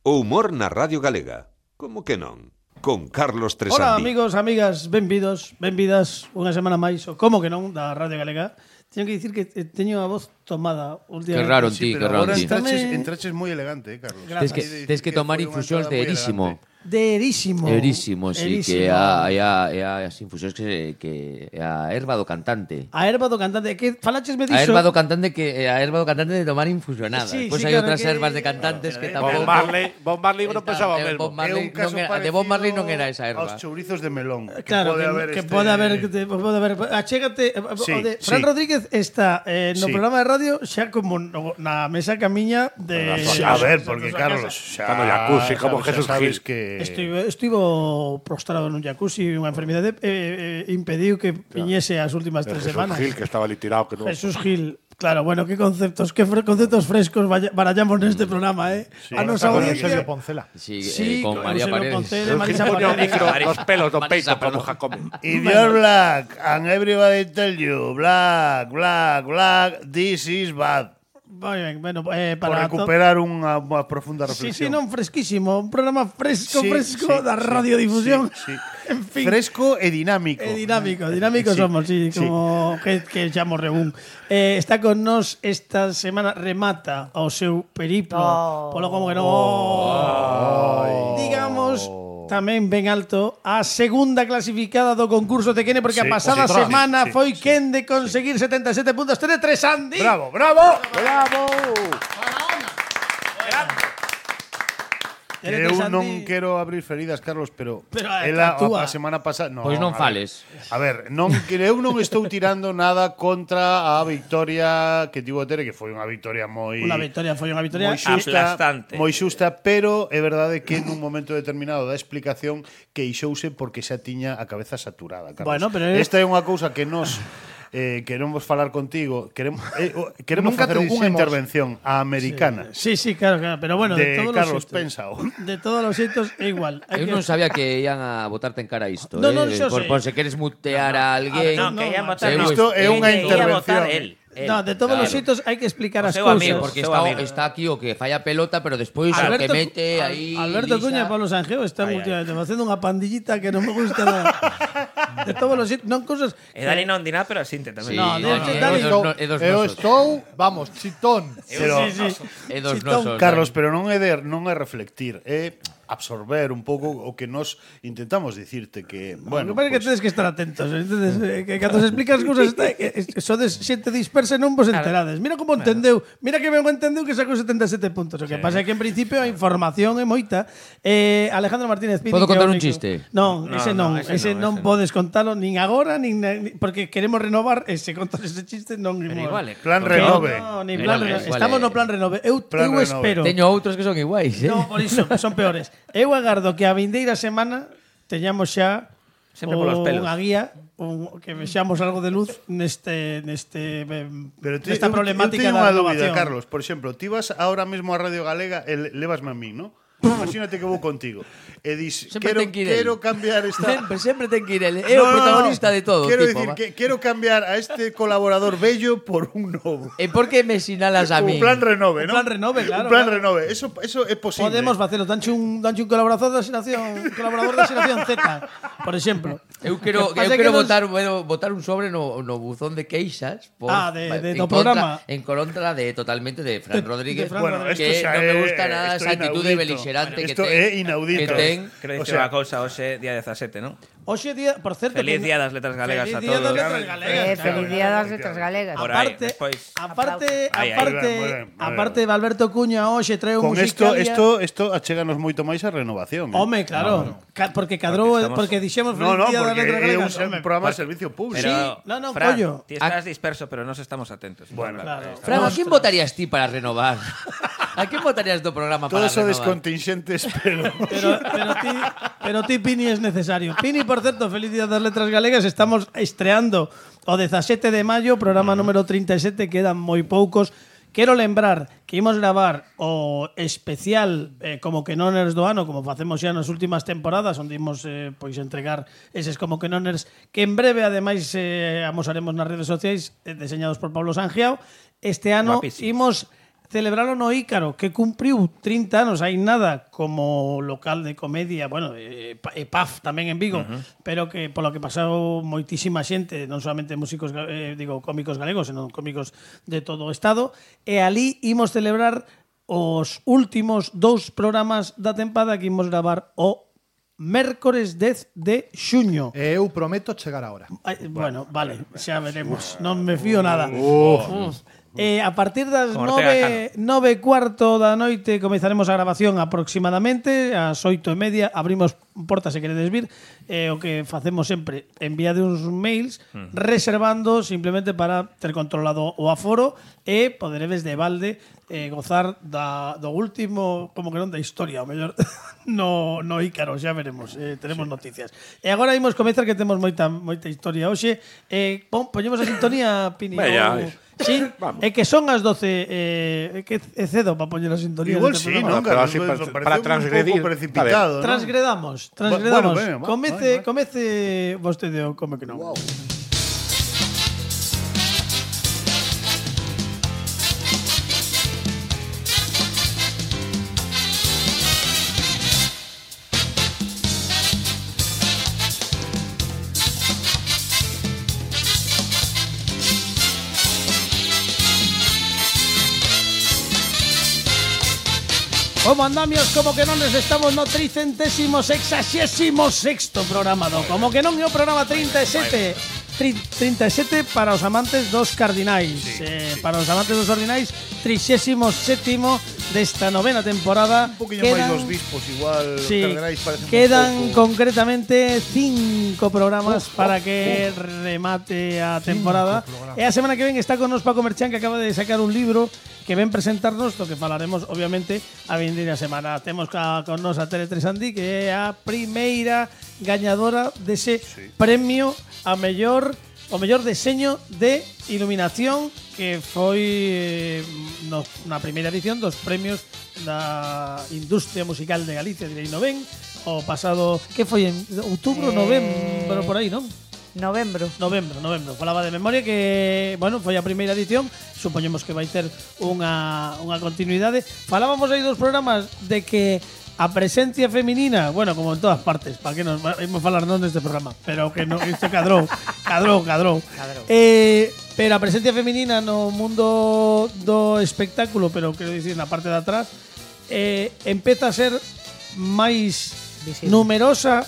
O humor na Radio Galega. Como que non? Con Carlos Tresandi. Hola amigos, amigas, benvidos, benvidas unha semana máis, o como que non, da Radio Galega. Teño que dicir que teño a voz tomada últimamente. Que raro en ti, que raro en ti. Entraches moi elegante, Carlos. Tes que tomar infusións de erísimo. De erísimo. Erísimo, sí, que hai as infusións que é a erva do cantante. A erva do cantante, que falaches me A dixo. erva do cantante de tomar infusionada. Sí, Pois sí, hai claro, outras que- ervas de cantantes que tampouco. Bob Marley non pensaba o mesmo. De Bob Marley non era esa erva. Aos chourizos de melón. Claro, que pode haber, achégate, Sí, o de Fran sí. Rodríguez está no Sí. programa de radio xa como na mesa camiña de A ver, porque Carlos, xa Está no jacuzzi, como xa Jesús sabes Gil. que Estivo prostrado nun jacuzzi, unha enfermidade impediu que viñese as últimas 3 Jesús semanas. Gil, que estaba ali tirado. Que non... Jesús Gil. Claro, bueno, qué conceptos frescos barallamos neste programa, Sí, a nosa con audiencia. Poncela. Sí, con María Eusebio Paredes. Poncela, Gil Marisa ponía o Paredes. micro nos pelos do Marisa peito como Paredes. Jacome. Idiot Black, and everybody tell you, Black, this is bad. Moi ben, bueno, Por para recuperar unha profunda Sí, reflexión. non fresquísimo, un programa fresco Sí, da radiodifusión. sí. En fin. Fresco e dinámico. Dinámico Sí, somos, sí, sí. como que chamo Regún. Está con nos esta semana, remata o seu periplo, polo como que non. Digamos, tamén ben alto, a segunda clasificada do concurso de Kene, porque a Sí, pasada sí, semana sí, foi sí. Ken de conseguir 77 puntos. Tere Tresandi. Bravo. Tere Eu Tresandi. non quero abrir feridas, Carlos, pero a ela túa. a semana pasada, Pois non a ver. fales. A ver, eu non estou tirando nada contra a victoria que tivo Tere, que foi unha victoria moi Unha victoria, foi unha victoria. moi xusta, aplastante. moi xusta, pero é verdade que nun momento determinado da explicación queixouse porque xa tiña a cabeza saturada, Carlos. Bueno, pero esta é unha cousa que nos queremos falar contigo, queremos Nunca facer te unha dixemos. intervención a americana Sí, claro, pero bueno, de de todos Carlos los Pensao. de todos los xeitos é igual. Hai Eu que- non sabía que ian a botarte en cara isto, No, xo sei. por se queres mutear a alguén. No, que ia votar. Eu Isto é unha Ia intervención. votar él. No, de todos los xeitos hai que explicar O as seu cousas. amigo, Porque seu está, amigo. está aquí o que falla pelota, pero despois o que mete aí. Alberto lisa. Cuña e Pablo Sanjeo están últimamente facendo unha pandillita que non me gusta nada. De todos los xeitos, non cousas. E Dani non di nada, pero asinte tamén. Sí, No, no, Dani- é dos Eu nosos. estou, vamos, chitón. Pero É dos Chitón. nosos. Carlos, pero non é reflectir, é absorber un pouco o que nos intentamos dicirte que, Bueno, bueno, que pues, tedes que estar atentos, entendes? Que cando se explican as cousas sodes xente dispersa e non vos enterades. Mira como entendeu, mira que ben entendeu que sacou 77 puntos. O que pasa é que en principio a información é moita. Alejandro Martínez Pini. Podo que é contar o un único- chiste? Non, ese non, ese ese non non. podes contalo nin agora nin porque queremos renovar ese contas ese chiste non Pero imos. igual, plan Que renove. No, nin plan Igual, renove. igual, Estamos no plan renove. Eu Plan renove. espero. Teño outros que son iguais, No, por iso, son peores. Eu agardo que a vindeira semana teñamos xa Sempre polos pelos. unha guía, que vexamos algo de luz nesta eu problemática teño da unha dúbida, renovación. Carlos. Por exemplo, ti vas ahora mesmo a Radio Galega e levasme a mí, ¿no? Imagínate que vou contigo e dis, Sempre ten que ir quero el. cambiar esta... Sempre ten que ir el. É o protagonista de todo, Quero tipo. dicir que quero cambiar a este colaborador bello por un novo. E por que me sinalas a mí? Un plan renove, Un ¿no? plan renove, claro, Un plan claro. renove. Eso é posible. Podemos facelo, danche un colaborador da xeración Z, por exemplo. Eu quero Que pasa que botar un sobre no buzón de queixas por, do en programa. En contra de totalmente de Fran Rodríguez, de Fran Bueno, Rodríguez. que esto xa non me é- gusta nada esto esa é actitude inaudito. beligerante Esto que é ten. inaudito. Que ten. Quero O dicir sea, unha cousa, hoxe, día 17, non? Hoxe día, por certo, Feliz día das letras galegas Feliz a día das todos. letras galegas. Feliz día das letras galegas. Por aí, despois. Aparte, Muy ben. aparte de Alberto Cuña hoxe trae un Con esto, musicalia. esto achéganos moito máis a renovación. Home, claro, porque cadrou, porque dixemos No, Feliz día das porque letras é galegas. un programa de servicio público. Pero, Sí, no, Fran, collo. ti estás disperso, pero nos estamos atentos. Bueno, Claro. Fran, a quién votarías ti para renovar? A quién votarías do programa para Todos sodes renovar? contingentes, pero... Pero ti, Pini, es necesario. Pini, por certo, feliz día das letras galegas. Estamos estreando o 17 de maio, programa número 37, quedan moi poucos. Quero lembrar que imos gravar o especial como que noners do ano, como facemos xa nas últimas temporadas, onde imos pois entregar eses como que noners que en breve, ademais, amosaremos nas redes sociais, deseñados por Pablo Sangiao. Este ano Guapísimos. imos celebralo no Ícaro, que cumpriu 30 anos, hai nada como local de comedia, bueno, PAF tamén en Vigo, pero que polo que pasou moitísima xente, non solamente músicos, cómicos galegos, senón cómicos de todo o estado, e ali imos celebrar os últimos 2 programas da tempada que imos gravar o mércores 10 de xuño. Eu prometo chegar ahora. Bueno, vale, xa veremos. Non me fío nada. A partir das Como Ortega 9:15 da noite comezaremos a grabación aproximadamente. Ás 8:30 abrimos portas se queredes vir. O que facemos sempre, enviade uns mails reservando simplemente para ter controlado o aforo e poderedes de balde gozar do último, como que non da historia, o mellor no Ícaro, xa veremos, teremos noticias. E agora imos comezar que temos moita historia hoxe. Poñemos a sintonía, Pini. Sí, Vamos. é que son as 12, que é cedo para poñer a sintonía. Igual neste sí, programa. non? Pero Carlos? así Pareceu para un transgredir. pouco precipitado, ¿no? Transgredamos. Bueno, va, Comece vostede o como que non. Wow. Como andamios, como que non estamos no 366º programa do Como que non é o programa 37 para os amantes dos cardinais, para os amantes dos ordinais, 37º desta novena temporada. Un poquinho máis dos bispos, igual carderais parecen quedan un pouco... concretamente 5 programas para que remate a temporada. E a semana que ven está con nos Paco Merchán, que acaba de sacar un libro que ven presentarnos, do que falaremos obviamente a vindeira semana. Temos con nos a Tere Tresandi, que é a primeira gañadora dese premio o mellor deseño de iluminación, que foi na primeira edición dos premios da industria musical de Galicia, direi no ben, o pasado, que foi en outubro, novembro, por aí, non? Novembro. Falaba de memoria que, bueno, foi a primeira edición, supoñemos que vai ter unha continuidade. Falábamos aí dos programas de que a presencia feminina, bueno, como en todas partes, para que nos vamos a falar non deste programa, pero que no, isto cadrou. Pero a presencia feminina no mundo do espectáculo, pero quero dicir na parte de atrás, empeza a ser máis visible, numerosa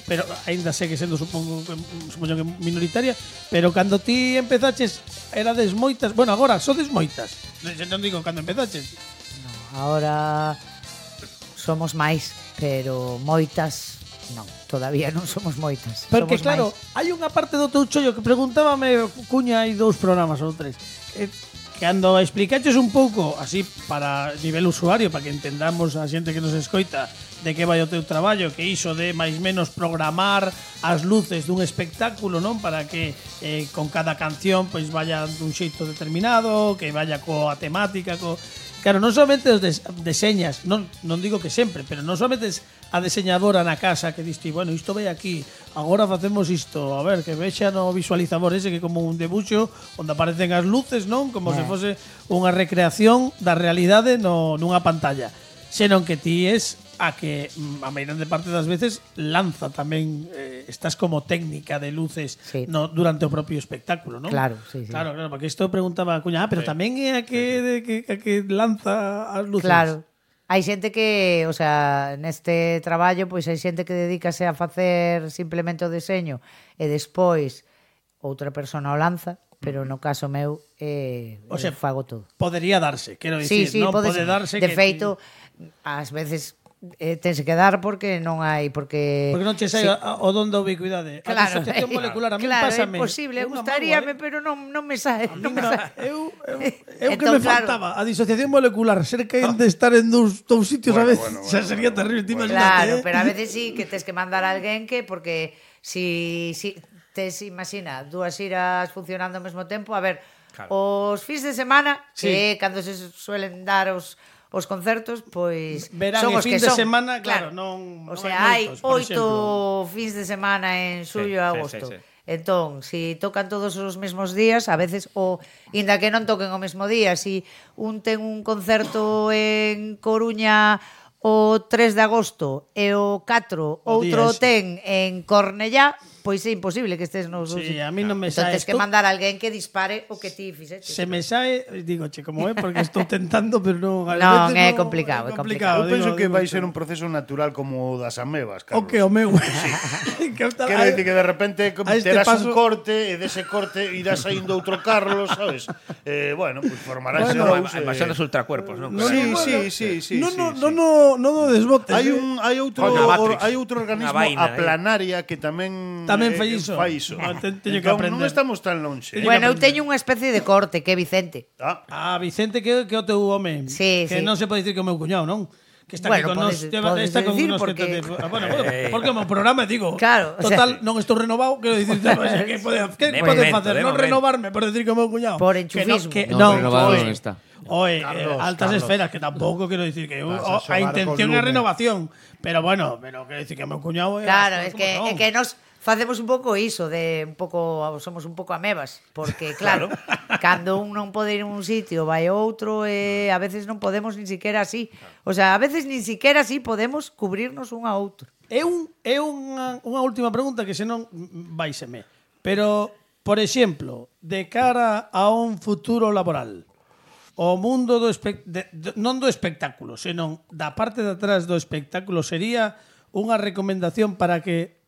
pero aínda segue sendo supoño que minoritaria, pero cando ti empezaches erades moitas, bueno, agora sodes moitas. Non digo cando empezaches. No, ahora somos máis, pero moitas non, todavía non somos moitas. Porque somos claro, máis. hai unha parte do teu chollo que preguntábame Cuña hai 2 programas ou 3. Cando explicaches un pouco así para nivel usuario, para que entendamos a xente que nos escoita de que vai o teu traballo, que iso de máis menos programar as luces dun espectáculo, non? Para que con cada canción pois vaya dun xeito determinado, que vaya coa temática, claro, non somente os deseñas, non digo que sempre, pero non somente a deseñadora na casa que diste, bueno, isto vai aquí, agora facemos isto, a ver, que vexa no visualizador ese que é como un debuxo onde aparecen as luces, non? Como se fose unha recreación da realidade nunha pantalla. Senón que ti es a que a maioría parte das veces lanza tamén, estás como técnica de luces durante o propio espectáculo, non? Claro, sí. Claro, porque isto preguntaba a Cuña, pero tamén é a que lanza as luces. Claro. Hai xente que, o sea, neste traballo, pois hai xente que dedícase a facer simplemente o deseño e despois outra persona o lanza, pero no caso meu o sea, fago todo. Podería darse, quero dicir, sí, non pode darse. De feito, ás veces tense que dar porque non hai porque non che sai o don da ubicuidade. Claro, a disociación molecular a mí claro, pásame. É posible, gustaríame, pero non me sae, non me sae. Eu que me faltaba a disociación molecular, ser que de estar en dous sitios a veces, xa sería terrible, Claro, pero a veces sí que tes que mandar a alguén que porque si tes, imagina, dúas iras funcionando ao mesmo tempo, a ver, os fins de semana, que cando se suelen dar os concertos, pois verán son os fin que de son. semana, claro, non. O sea, hai 8 fins de semana en xullo e agosto. Entón, si tocan todos os mesmos días, a veces, inda que non toquen o mesmo día, si un ten un concerto en Coruña o 3 de agosto e o 4 outro ten en Cornellá, pois é imposible que estés nos dous. Sí, a mí non me entón, sae tes que mandar a alguén que dispare o que ti fixeches. Se me sae, digo, che, como é, porque estou tentando, pero non... Non, é complicado, é complicado. Eu penso que vai ser un proceso natural como o das amebas, Carlos. O que o meu... Quero dicir que de repente terás un corte e dese corte irá saindo outro Carlos, sabes? Bueno, pues formarás A invasión dos ultracuerpos, non? Sí. No do desbotes. Hai outro organismo, a planaria, que tamén fai iso. Teño que aprender. Non estamos tan lonxe. Bueno, eu teño unha especie de corte, que é Vicente. Vicente, que o teu home. Sí, que non se pode dicir que o meu cuñado, non? Que está aquí con nos, está con unos porque... Bueno, porque o meu programa, digo, claro, total, non estou renovado, quero dicir, que pode facer? Non renovarme por decir que o meu cuñado. Por enchufismo. Non, renovado non está. Oye, altas esferas, que tampouco quero dicir que a intención é renovación, pero bueno, quero dicir que o meu cuñado claro, é que nos facemos un pouco iso de somos un pouco amebas, porque claro, cando un non pode ir a un sitio, vai a outro e a veces non podemos nin siquiera así. O sea, a veces nin siquiera así podemos cubrirnos un a outro. É unha última pregunta que senón vaiseme. Pero, por exemplo, de cara a un futuro laboral, o mundo non do espectáculo, senón da parte de atrás do espectáculo, sería unha recomendación para que,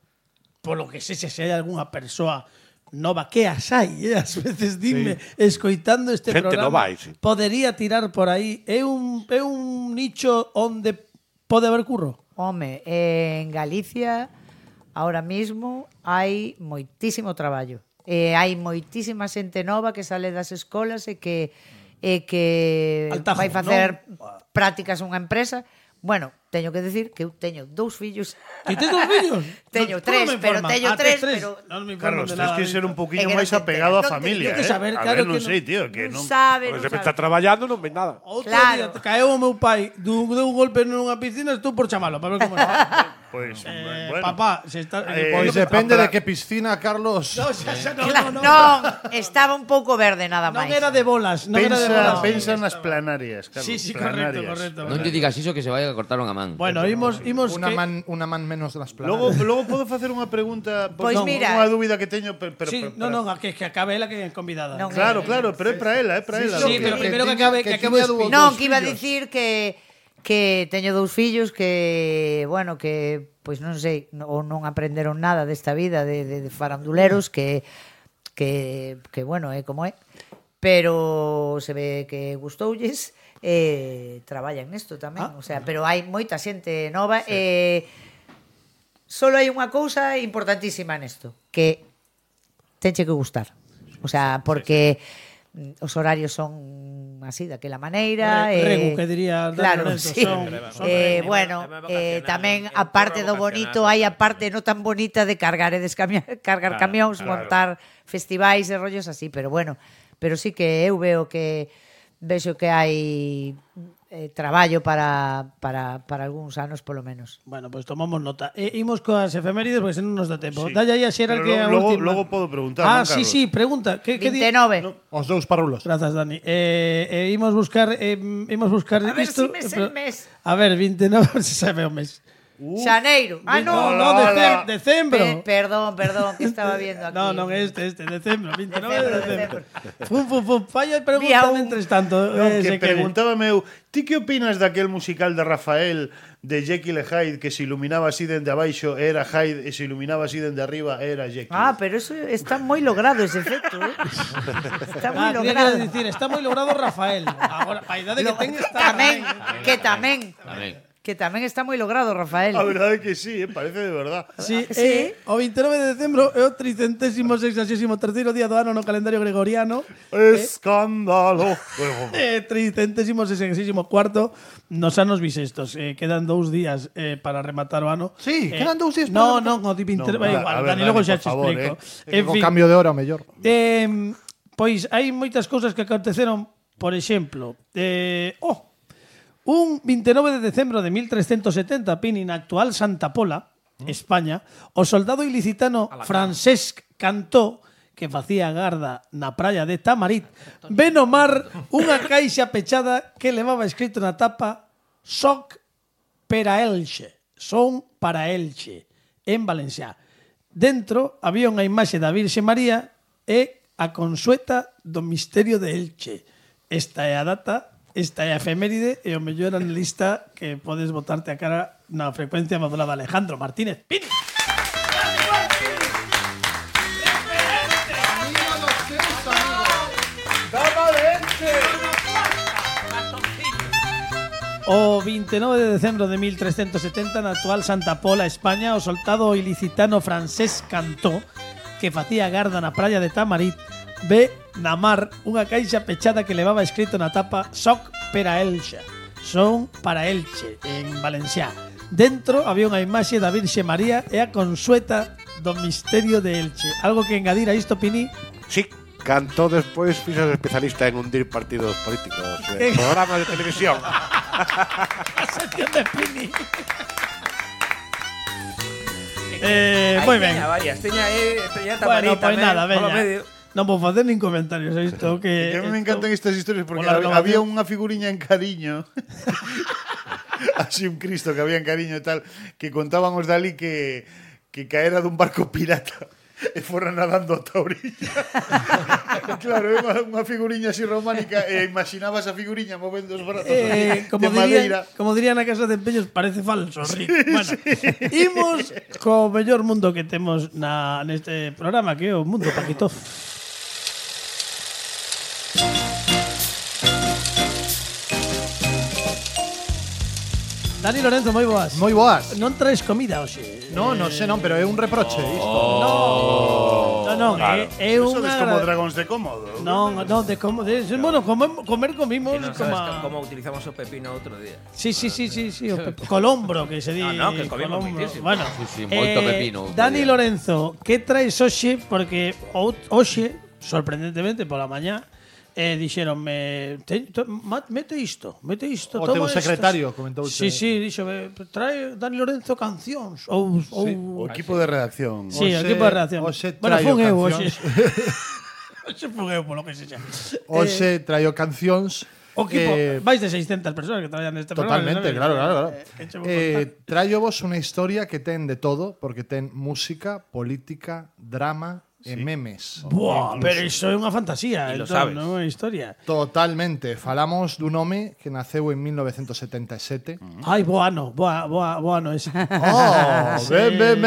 polo que se hai algunha persoa nova, que as hai, ás veces dime, escoitando este Gente programa, nova, sí. podería tirar por aí. É un nicho onde pode haber curro? Home, en Galicia, ahora mismo, hai moitísimo traballo. Hai moitísima xente nova que sale das escolas e que Altajo, vai facer prácticas unha empresa. Bueno, teño que decir que eu teño 2 fillos. Ti tes 2 fillos? Teño 3, pero teño 3, pero Carlos, tens que ser un poquinho máis apegado á familia, que saber, A claro, ver, non que sei, tío, que non sabe, Se me está traballando non ven nada. Outro Claro. día caeu o meu pai deu un golpe nunha piscina, estou por chamalo para ver como é. Pois, bueno. Papá, se está Pois depende de que piscina, Carlos. Non, estaba un pouco verde nada Non máis. era de bolas, non era de bolas. Pensa nas planarias, Carlos. Sí, planarias. correcto. Non lle digas iso que se vai a cortar unha man. Bueno, imos Una man menos das planas. Logo podo facer unha pregunta, Pois mira, unha dúbida que teño, pero Sí, non, que acabe ela que é convidada. Non, Claro, pero é para ela, Sí, pero primeiro que acabe o speech. Non, que iba a dicir que teño 2 fillos que, bueno, que pois non sei, ou non aprenderon nada desta vida de faranduleros que bueno, é como é. Pero se ve que gustoulles traballan nesto tamén, o sea, pero hai moita xente nova solo hai unha cousa importantísima nesto, que tenche que gustar. O sea, porque os horarios son así, daquela maneira. Regu, que diría. Claro, sí. Bueno, tamén, a parte do bonito, hai a parte non tan bonita de cargar e cargar camións, montar festivais e rollos así, pero bueno, pero sí que eu vexo que hai traballo para algúns anos, polo menos. Bueno, pues tomamos nota. Imos coas efemérides, porque senón nos dá tempo. Sí. Dalle aí a Xeral que a última. Logo podo preguntar, non, sí, Carlos? sí, pregunta. Que 29. Os 2 parulos. Grazas, Dani. Imos buscar A ver isto. si me sei el mes. A ver, 29, se sabe o mes. Xaneiro. No, decembro. Perdón, que estaba viendo aquí. No, decembro, 29 de decembro. Decembro. Falla pregunta mentres tanto. Que preguntábame eu, ti que opinas daquel musical de Rafael de Jekyll e Hyde, que se iluminaba así dende abaixo era Hyde e se iluminaba así dende arriba era Jekyll? Pero eso está moi logrado ese efecto, Está moi logrado. Decir, está moi logrado Rafael. Agora, a idade que ten está tamén. Que tamén está moi logrado, Rafael. A verdade é que sí, parece de verdad. Sí, Sí. O 29 de decembro é o 363º día do ano no calendario gregoriano. Escándalo. 364º nos anos bisestos. Quedan 2 días para rematar o ano. Sí, quedan 2 días. No, o 29 igual. Dani, logo xa te explico. En O fin, cambio de hora, mellor. pois hai moitas cousas que aconteceron. Por exemplo, un 29 de decembro de 1370, Pini, na actual Santa Pola, España, o soldado ilicitano Francesc Cantó, que facía garda na praia de Tamarit, ve no mar unha caixa pechada que levaba escrito na tapa "Soc per a Elche", son para Elche, en valencià. Dentro había unha imaxe da Virxe María e a consueta do misterio de Elche. Esta é a data, esta é a efeméride e o mellor analista que podes botarte a cara na frecuencia modulada. Alejandro Martínez Pini. O 29 de decembro de 1370 na actual Santa Pola, España, o soldado ilicitano Francesc Cantó, que facía garda na praia de Tamarit, ve na mar unha caixa pechada que levaba escrito na tapa "Soc per a Elche", son para Elche, en valencià. Dentro había unha imaxe da Virxe María e a consueta do misterio de Elche. Algo que engadir a isto, Pini? Sí, Cantó despois fixo especialista en hundir partidos políticos, programas de televisión. A sección de Pini. Moi ben. Teña varias, teña Bueno, Tamarita, pois nada, polo veña. medio. Non vou facer nin comentarios a isto que Que a mí me encantan estas historias porque Pola había renovación. unha figuriña en Cariño. Así un Cristo que había en Cariño e tal, que contaban os dali que caera dun barco pirata e fora nadando ata a orilla. Claro, é unha figuriña así románica e imaginabas a figuriña movendo os brazos así, de madeira. como diría na casa de empeños, parece falso, Rick. Bueno, imos co mellor mundo que temos neste programa, que é o mundo Paquito. Dani Lorenzo, moi boas. Moi boas. Non traes comida hoxe. No, non sei, non, pero é un reproche isto. Non, Claro. é Eso unha... es como dragóns de cómodo. Non, de como... bueno, comer comimos Que non como... sabes como utilizamos o pepino outro día. Sí, colombro, que se di. No, que comimos colombro. moitísimo. Bueno, Sí, moito pepino. Dani Lorenzo, que traes hoxe? Porque hoxe, sorprendentemente, pola mañá, dixeronme, mete isto, O toma teu estas. secretario comentouse. Sí, díxome, trae Dani Lorenzo cancións ou O equipo de redacción. sí, o Hoxe- equipo de reacción. hoxe Bueno, traio fun eu cancións. hoxe. Hoxe fun eu, polo que sexa. Hoxe traio cancións. O equipo, vais de 600 persoas que traballan neste programa. Totalmente, ¿sabes? claro. Échame un contar. Traio vos unha historia que ten de todo, porque ten música, política, drama e memes. Buah, pero iso é unha fantasía, E lo entón, sabes. non é unha historia. Totalmente. Falamos dun home que naceu en 1977. Ai, boa ano ese. Oh, ben.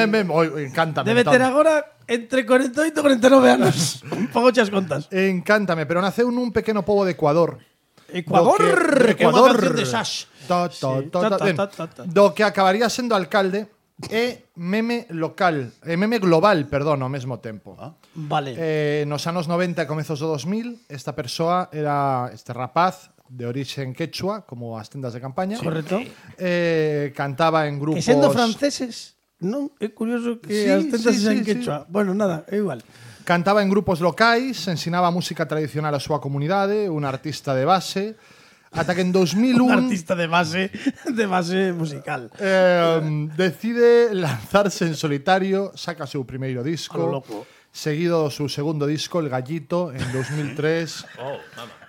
Encántame. Debe ter agora entre 48 e 49 anos. Un pouco chas contas. Encántame, pero naceu nun pequeno pobo de Ecuador. Ecuador, que é unha canción de Sash. Ben, do que acabaría sendo alcalde e meme global, perdón, ao mesmo tempo. Vale. Nos anos 90 e comezos do 2000, esta persoa era este rapaz de orixen quechua, como as tendas de campaña. Correcto. Cantaba en grupos... Que sendo franceses, non? É curioso que Sí, as tentas sí, sean sí, quechua. Bueno, nada, é igual. Cantaba en grupos locais, ensinaba música tradicional á súa comunidade, un artista de base, ata que en 2001 Un artista de base musical. decide lanzarse en solitario, saca o seu primeiro A lo disco, loco. seguido do seu segundo disco, El Gallito, en 2003.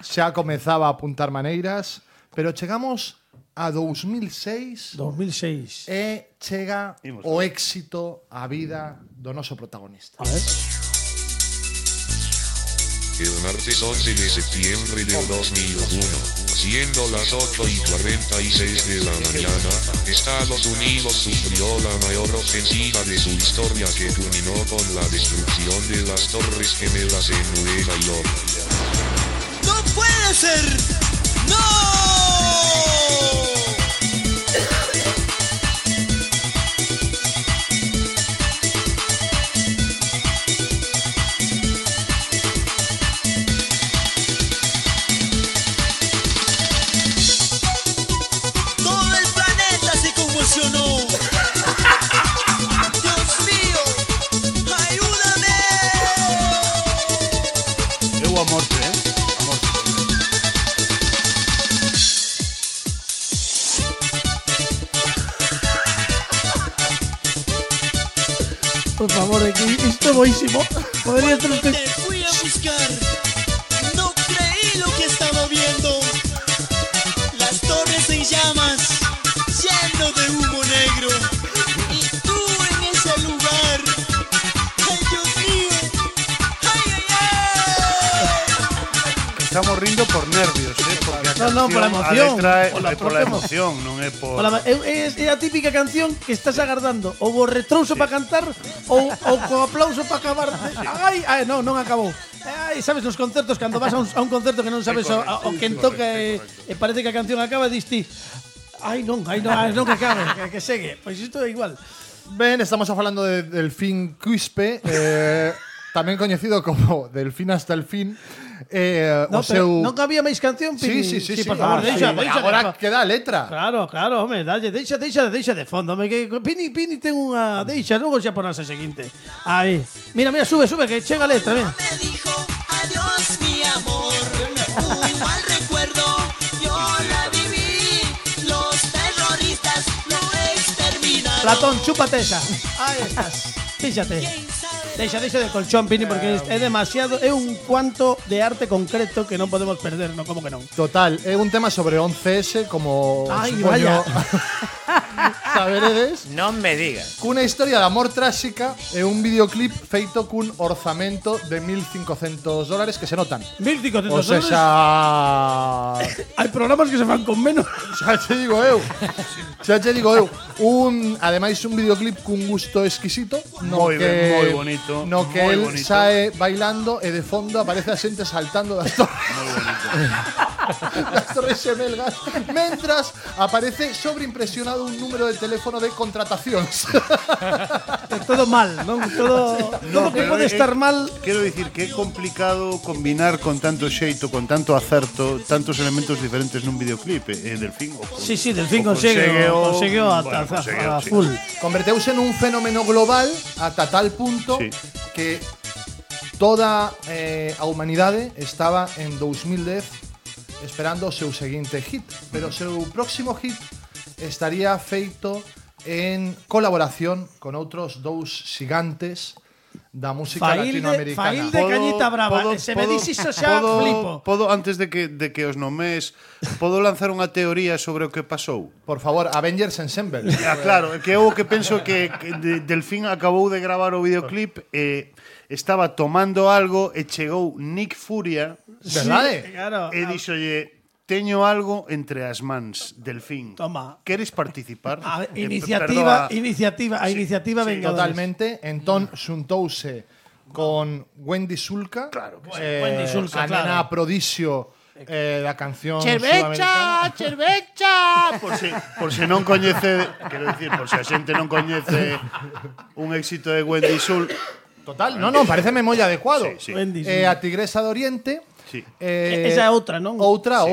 Xa comezaba a apuntar maneiras, pero chegamos a 2006 2006. e chega o éxito, a vida do noso protagonista. A ver. El martes 11 de septiembre del 2001, siendo las 8:46 de la mañana, Estados Unidos sufrió la mayor ofensiva de su historia que culminó con la destrucción de las Torres Gemelas en Nueva York. ¡No puede ser! ¡No! Todo el planeta se convulsionó. Dios mío, ayúdame. Eu a morte, A morte. por favor, isto é boísimo. Podría estar usted... Te fui a buscar, no creí lo que estaba viendo. Las torres en llamas, lleno de humo negro. Y tú en ese lugar. ¡Ay, Dios mío! ¡Ay, ay, ay! Estamos rindo por nervios, porque a No, por la emoción. Por la emoción, non é por... É a típica canción que estás agardando. Ou o retrouso para cantar ou co aplauso para acabar. Ai, non acabou. Ai, sabes, nos concertos, cando vas a un concerto que non sabes o quen toca e parece que a canción acaba, diste non que acabe, que segue. Pois isto é igual. Ben, estamos falando de Delfín Quispe, tamén coñecido como Delfín hasta el fin. Non había máis canción, Pini? Sí, por favor, deixa. Agora queda a letra. Claro, home, deixa de fondo. Pini ten unha deixa, logo xa ponas a seguinte. Aí. Mira, sube, que chega a letra, mira. Me dijo adiós mi amor, un mal recuerdo, yo la viví, los terroristas lo exterminaron. Platón, chúpate esa. Aí estás. Fíxate. Deixa de colchón, Pini, porque é demasiado, é un cuanto de arte concreto que non podemos perder, non, como que non. Total, é un tema sobre 11S, como vaya. Saberedes. Non me digas. Cunha historia de amor tráxica e un videoclip feito cun orzamento de $1.500 que se notan. $1.500. O sea, hai programas que se fan con menos. Xa te digo eu. Ademais un videoclip cun gusto exquisito, moi bonito. No que moi él bonito. sae bailando e de fondo aparece a xente saltando das torres. Moi bonito. Das torres xemelgas, mentras aparece sobreimpresionado un número de teléfono de contratacións. Todo mal, non? Todo que pode estar mal. Quero dicir que é complicado combinar con tanto xeito, con tanto acerto, tantos elementos diferentes nun videoclip. Delfín Sí, Delfín conseguiu a full. Converteuse nun fenómeno global ata tal punto que toda a humanidade estaba en 2010 esperando o seu seguinte hit, pero o seu próximo hit estaría feito en colaboración con outros dous xigantes da música latinoamericana. Fail de Cañita Brava. Se me dis iso xa flipo. Podo, antes de que os nomes, podo lanzar unha teoría sobre o que pasou? Por favor, Avengers Ensemble. Claro, que eu que penso que Delfín acabou de gravar o videoclip e estaba tomando algo e chegou Nick Furia, verdade? Claro. E dixolle: teño algo entre as mans, Delfín. Toma. Queres participar? Iniciativa Vengadores. Totalmente. Entón xuntouse con Wendy Sulca, Wendy Sulca, a nena prodigio da canción Chervecha. Por se non coñece, quero dicir, por se a xente non coñece un éxito de Wendy Sulca. Total, non, pareceme moi adecuado. Sí. A Tigresa do Oriente. Sí. Esa é outra, non? Outra.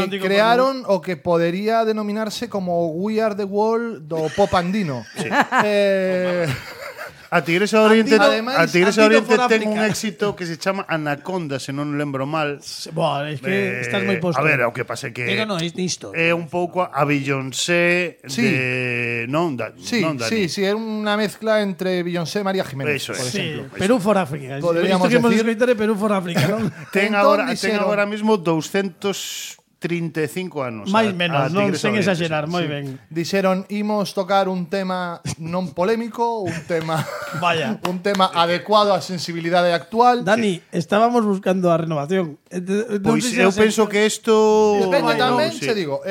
Crearon o que podería denominarse como We Are the World do pop andino. Sí. A Tigresa do Oriente, ten un éxito que se chama Anaconda, se non lembro mal. Es que estás moi posto. A ver, o que pasa é que isto. É un pouco a Beyoncé de Sí, é unha mezcla entre Beyoncé e María Jiménez, Eso por es. exemplo. Perú for África. Podríamos decir decir Perú for África, non? Ten agora mismo 235 anos. Máis menos, non sen exagerar, moi ben. Dixeron, imos tocar un tema non polémico, un tema un tema adecuado á sensibilidade actual. Dani, estábamos buscando a renovación. Pois eu penso que isto depende tamén, se digo.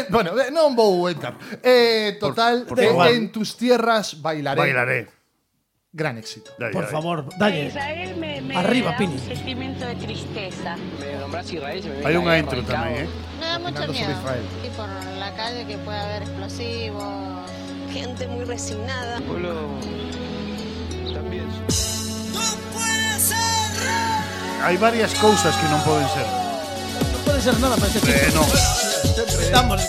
Bueno, non vou entrar. Total, en tus tierras bailaré. Gran éxito. Por favor, dalle. Arriba, Pini. Un sentimiento de tristeza. Hai unha intro tamén, Me da mucho miedo. Y por la calle que puede haber explosivos, gente muy resignada. También. ¡No puede ser! Hai varias cousas que non poden ser. Non pode ser nada para este tipo. Non. Estamos.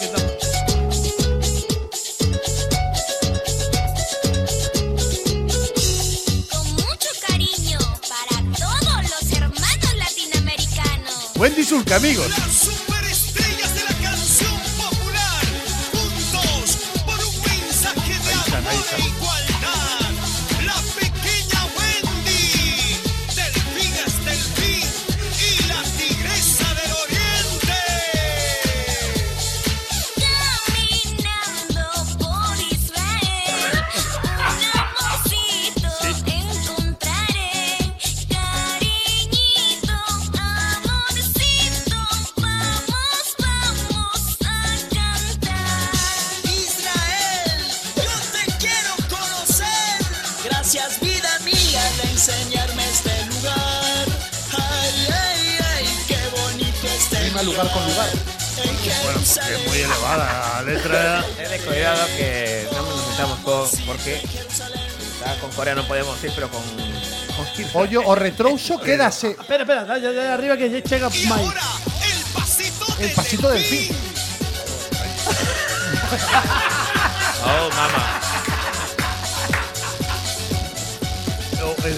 Wendy Sulca, amigos. Las superestrellas de la canción popular, juntos por un mensaje de amor e igualdad. enseñarme este lugar. Ay, ay, ay, qué bonito este Rima lugar con lugar. En Jerusalén. Es muy elevada la letra. Es de cuidado que no nos metamos porque con Corea no podemos ir, pero con Ollo, o retrouso, quédase Espera, de arriba que chega máis. el pasito del fin. Oh, mamá.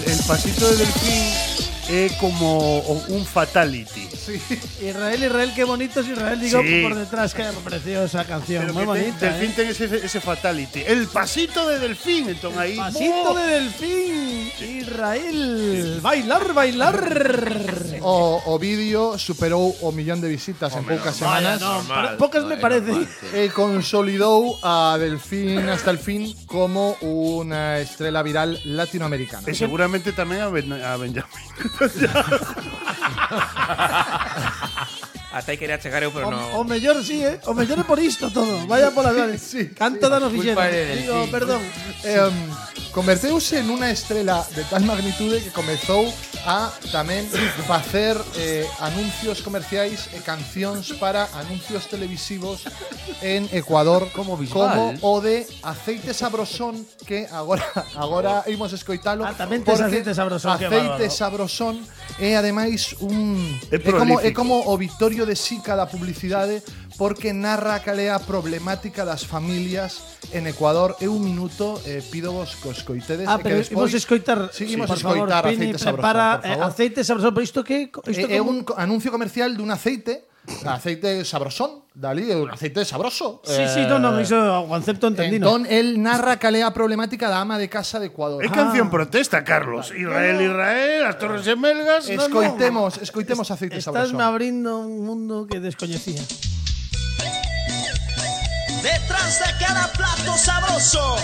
El pasito de delfín es como un fatality. Israel, qué bonito es Israel, digo, Sí. por detrás, qué preciosa canción, Pero muy que bonita. delfín ten ese fatality. El pasito de delfín, entonces ahí. Pasito de delfín, Israel, bailar. O vídeo superou o 1 millón de visitas en poucas semanas. Pocas me parece. E consolidou a Delfín hasta el fin como una estrella viral latinoamericana. Y seguramente también a Benjamin. Hasta aí quería chegar eu, pero O no. mellor sí, o mellor é por isto todo. Vaya por las vales. Canto danos fixeron. Culpa de Digo, Delfín. perdón. Converteuse en una estrela de tal magnitude que comezou a tamén facer anuncios comerciais e cancións para anuncios televisivos en Ecuador Como visual. o de Aceite Sabrosón, que agora imos escoitalo. Tamén tes porque Aceite Sabrosón, que Aceite bárbaro. Sabrosón é ademais É é prolífico. como o Victorio de Sica da publicidade, porque narra cal é a problemática das familias en Ecuador. É un minuto, pídovos que os coitedes. Pero imos escoitar, Seguimos por favor, escoitar Pini, Aceite Sabrosón, prepara por favor. Aceite Sabrosón, pero isto que É un anuncio comercial dun aceite sabrosón, dali, é un aceite sabroso. Sí, no, iso o concepto entendino. Entón, el narra cal é a problemática da ama de casa de Ecuador. Es canción protesta, Carlos. Israel, las Torres Gemelgas. Escoitemos Aceite Estás Sabrosón. me abrindo un mundo que descoñecía. Detrás de cada plato sabroso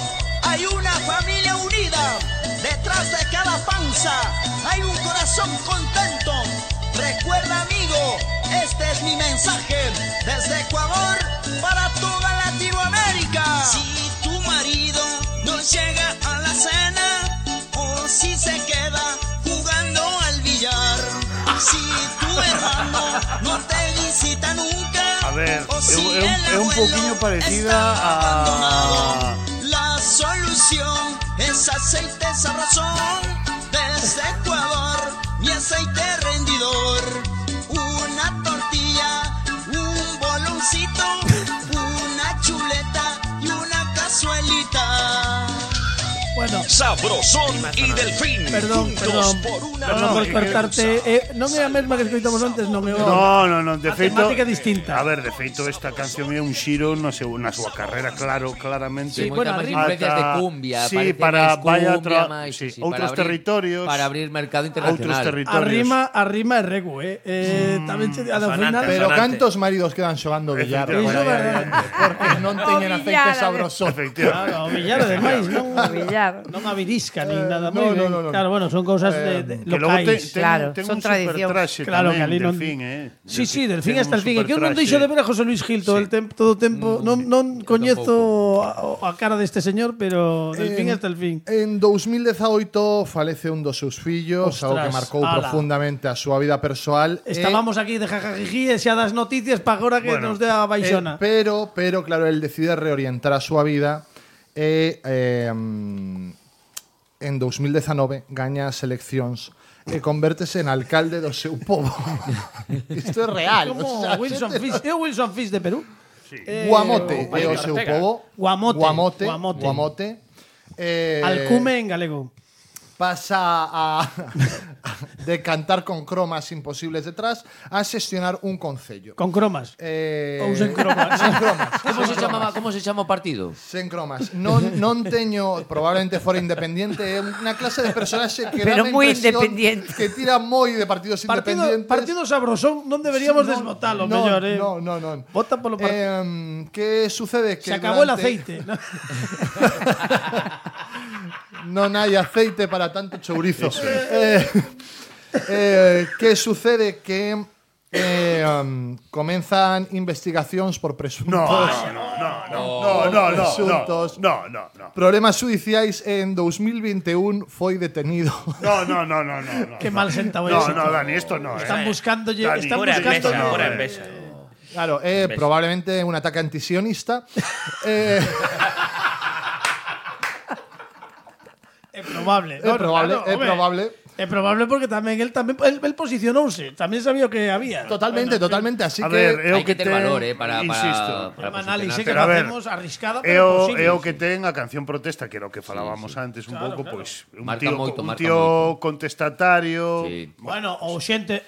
hay una familia unida. Detrás de cada panza hay un corazón contento. Recuerda, amigo, este es mi mensaje desde Ecuador para toda Latinoamérica. Si tu marido no llega a la cena o si se queda jugando al billar, si tu hermano no te visita nunca, A ver, o si el es un abuelo poquillo parecida está a. abandonado, la solución es aceite sabrosón desde Ecuador, mi aceite rendidor. Una tortilla, un boloncito, una chuleta y una cazuelita. Bueno, Sabrosón y Delfín. perdón por cortarte. Non é a mesma que escoitamos antes, non é No, de a feito. temática distinta. A ver, de feito, esta canción é un xiro na súa carreira, claramente. Sí, moitas máis influencias de cumbia. Sí, parece para máis vaya cumbia, máis, sí, sí, outros para abrir- territorios. Para abrir mercado Outros internacional. territorios. A rima é regu, tamén che ao final. Pero cantos maridos quedan xogando billar? Iso é verdade. Porque non teñen aceite sabrosón. Claro, o billar ademais, non a virisca nin nada. No, moi ben. no. Claro, bueno, son cousas de Que logo locais. ten un supertraxe Claro, que tamén, ali non. Delfín, Sí, Delfín ten hasta el un fin. É que eu non supertraxe. deixo de ver a José Luis Gil todo o tempo. Non coñezo a cara deste señor, pero Delfín hasta el fin. En 2018 falece un dos seus fillos, algo que Ostras, marcou ala. profundamente a súa vida persoal. Estábamos aquí de jajajiji e xa das noticias para agora que nos dé a baixona. Pero, claro, él decide reorientar a súa vida e en 2019 gaña as eleccións e convértese en alcalde do seu pobo. Isto é real. Como o sea, Wilson Fish. É o Wilson Fish de Perú? Guamote é o seu pobo. Guamote. Alcume en galego. Pasa de cantar con cromas imposibles detrás a xestionar un concello. Con cromas. Ou sen cromas. Sen cromas. Como se chama o partido? Sen cromas. Non teño, probablemente fora independiente, é unha clase de personaxe que Pero dá moi independiente. que tira moi de partidos independientes. Partido sabrosón, non deberíamos desbotalo, mellor, Non. Vota polo partido. Que sucede que Se acabou el durante- aceite. Non hai aceite para tanto chourizo. Que sucede que comenzan investigacións por presuntos Presuntos. No. Problemas judiciais en 2021 foi detenido. No. Qué mal sentado No, eso. Dani, esto no. Están buscando... Dani, Están Pura buscando... envexa, pura envexa. Claro, probablemente un ataque antisionista. É probable. É probable, claro, é home. probable. É probable porque tamén él posicionouse, tamén sabía o que había. Totalmente, totalmente. Así A que ver, é o Hai que ter ten- valor, para insisto. É unha análise que Pero a ver, facemos arriscada, É pero o, posible. é o que ten a canción protesta, que era o que falábamos antes un pouco, pois un Marca tío, moito, un marca tío moito. contestatario. Sí. Bueno, ou xente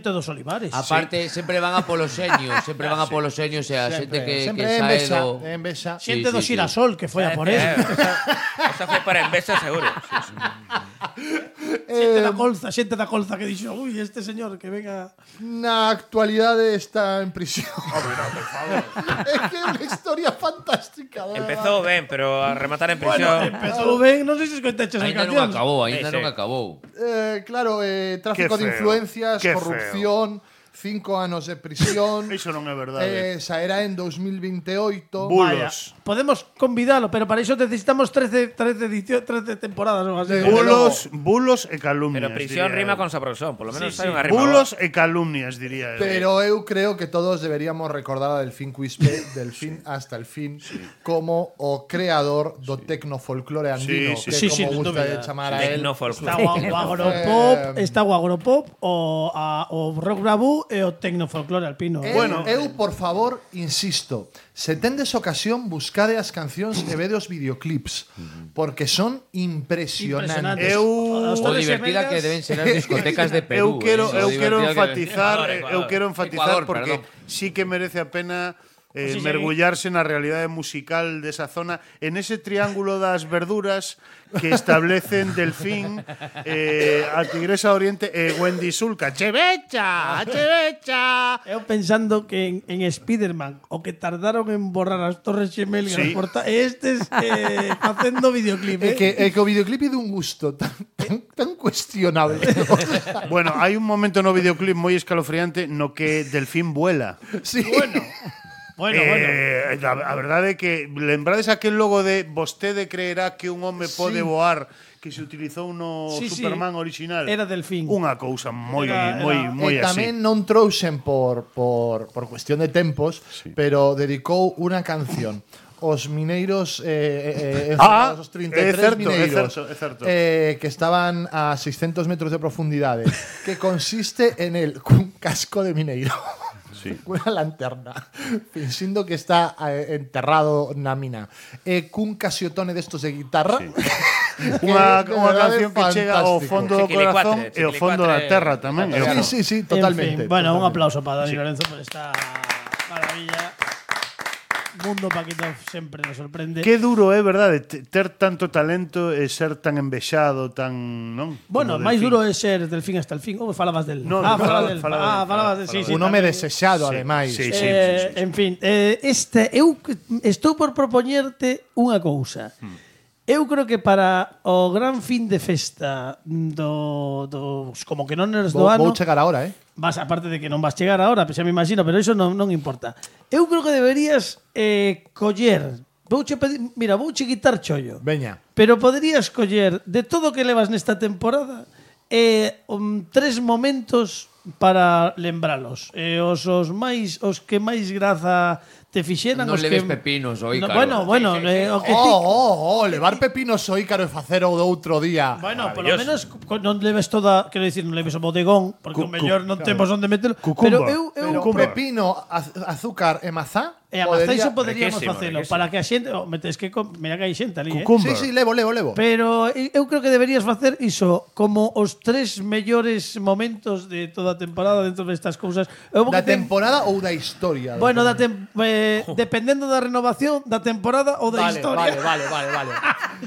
dos Olivares. Aparte, sempre van a polos seños, sempre van a polos seños, e a xente que sempre sae envexa, do... envexa. Xente Sí, do sí, sí. Xirasol, que foi a por él. Esa foi para envexa seguro. Xente da colza que dixo, ui, este señor que venga... Na actualidade está en prisión. É que é unha historia fantástica. de Empezou ben, pero a rematar en Bueno, prisión. empezou ben, non sei se escoitaches as Ainda non cancións. acabou, ainda Sí, non sí. acabou. Claro, tráfico Qué de feo, influencias, qué corrupción, 5 anos de prisión. Iso non é verdade. Saerá en 2028. Vaya, Bulos. podemos convidalo, pero para iso necesitamos 13 temporadas ou así. Bulos e calumnias. Pero prisión diría rima eu. con sabrosón, polo menos Sí, hai sí. unha rima. Bulos e calumnias, diría eu. Pero eu creo que todos deberíamos recordar a Delfín Quispe, del fin hasta el fin, como o creador do tecnofolclore andino, Sí, que sí. Sí, como sin gusta dúbida. de chamar a él. Está o agropop, o rock bravú e o tecnofolclore alpino. Eu, por favor, insisto, se tendes ocasión, buscade as cancións e vede os videoclips, porque son impresionantes. O divertida que deben ser as discotecas de Eu Perú. quero Ecuador, enfatizar porque perdón. sí que merece a pena sí, mergullarse na realidade musical desa zona, en ese triángulo das verduras que establecen Delfín, a Tigresa Oriente e Wendy Sulca. Chevecha! Eu pensando que en Spiderman o que tardaron en borrar as torres gemelgas Sí. estes facendo videoclip. É que o videoclip é dun gusto tan cuestionable. Bueno, hai un momento no videoclip moi escalofriante no que Delfín vuela. Sí. Bueno. A verdade é que lembrades aquel logo de vostede creerá que un home pode voar que se utilizou no Sí, Superman original. Era Delfín. Unha cousa moi E así. tamén non trouxen por cuestión de tempos, pero dedicou unha canción os mineiros os 33 é certo, mineiros é certo. que estaban a 600 metros de profundidade, que consiste en el cun casco de mineiro. Sí. Unha lanterna finxindo que está enterrado na mina cun casiotone destos de guitarra Unha canción que chega ao fondo do corazón e ao fondo da terra tamén. Sí, totalmente. En fin, bueno, un aplauso para Dani Lorenzo por esta maravilla. Mundo Paquito sempre nos sorprende. Que duro é, verdade, ter tanto talento e ser tan envexado, tan, non? Bueno, máis duro é ser Delfín hasta el fin. Ou falabas del? No, falabas del. Sí, un home desexado, ademais. Sí. En fin, eu estou por propoñerte unha cousa. Eu creo que para o gran fin de festa dos como que non eres do ano. Vou chegar agora, Vas, aparte de que non vas chegar agora, xa me imagino, pero iso non importa. Eu creo que deberías coller. Vouche quitar chollo. Veña. Pero poderías coller de todo o que levas nesta temporada 3 momentos para lembralos. Os que máis graza te fixeran, Non os leves que pepinos o Ícaro. Bueno, o que levar pepinos o Ícaro e facer o do outro día. Bueno, polo menos non leves toda, quero dicir, non leves o bodegón, porque o mellor non temos onde metelo. Pero eu con pepino, azúcar e mazá. E a mazá iso poderíamos facelo para que a xente, metes que mira que hai xente ali, Sí, levo. Pero eu creo que deberías facer iso como os 3 mellores momentos de toda a temporada dentro destas cousas. Da temporada ou da historia? Bueno, dependendo da renovación da temporada ou da historia. Vale.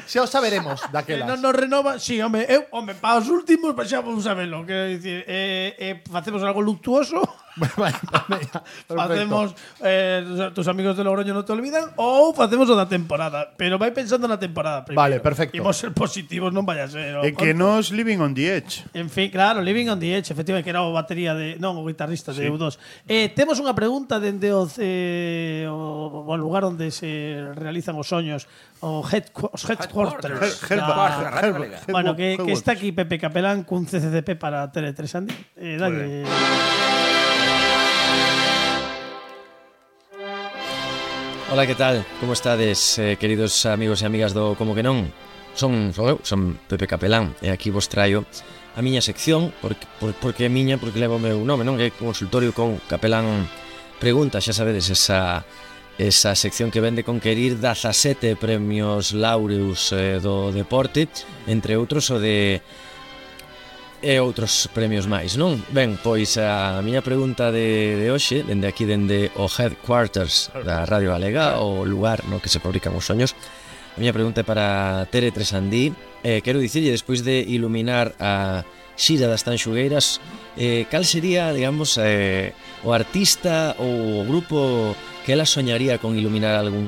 Xa o saberemos daquelas. Non nos renova, si, para os últimos xa vamos a verlo, quero dicir, facemos algo luctuoso. Facemos tus amigos de Logroño non te olvidan ou facemos o da temporada, pero vai pensando na temporada primeiro. Vale, perfecto. Imos ser positivos, non vaya a ser. E que nos Living on the Edge. En fin, claro, Living on the Edge, efectivamente, que era o batería de, non, o guitarrista de U2. Temos unha pregunta dende o lugar onde se realizan os soños, os headquarters. Bueno, que está aquí Pepe Capelán cun CCCP para Tele3 Andi. Dalle. Hola, que tal? Como estades, queridos amigos e amigas do Como que non? Son Pepe Capelán e aquí vos traio a miña sección porque é miña, porque levo o meu nome, non? É consultorio con Capelán Pregunta, xa sabedes, esa sección que vende conquerir 17 premios Laureus do deporte, entre outros o de e outros premios máis, non? Ben, pois a miña pregunta de hoxe, dende aquí, dende o headquarters da Radio Galega, o lugar no que se fabrican os soños, a miña pregunta é para Tere Tresandí. Quero dicirlle, despois de iluminar a xira das Tanxugueiras, cal sería, digamos, o artista ou o grupo que ela soñaría con iluminar algún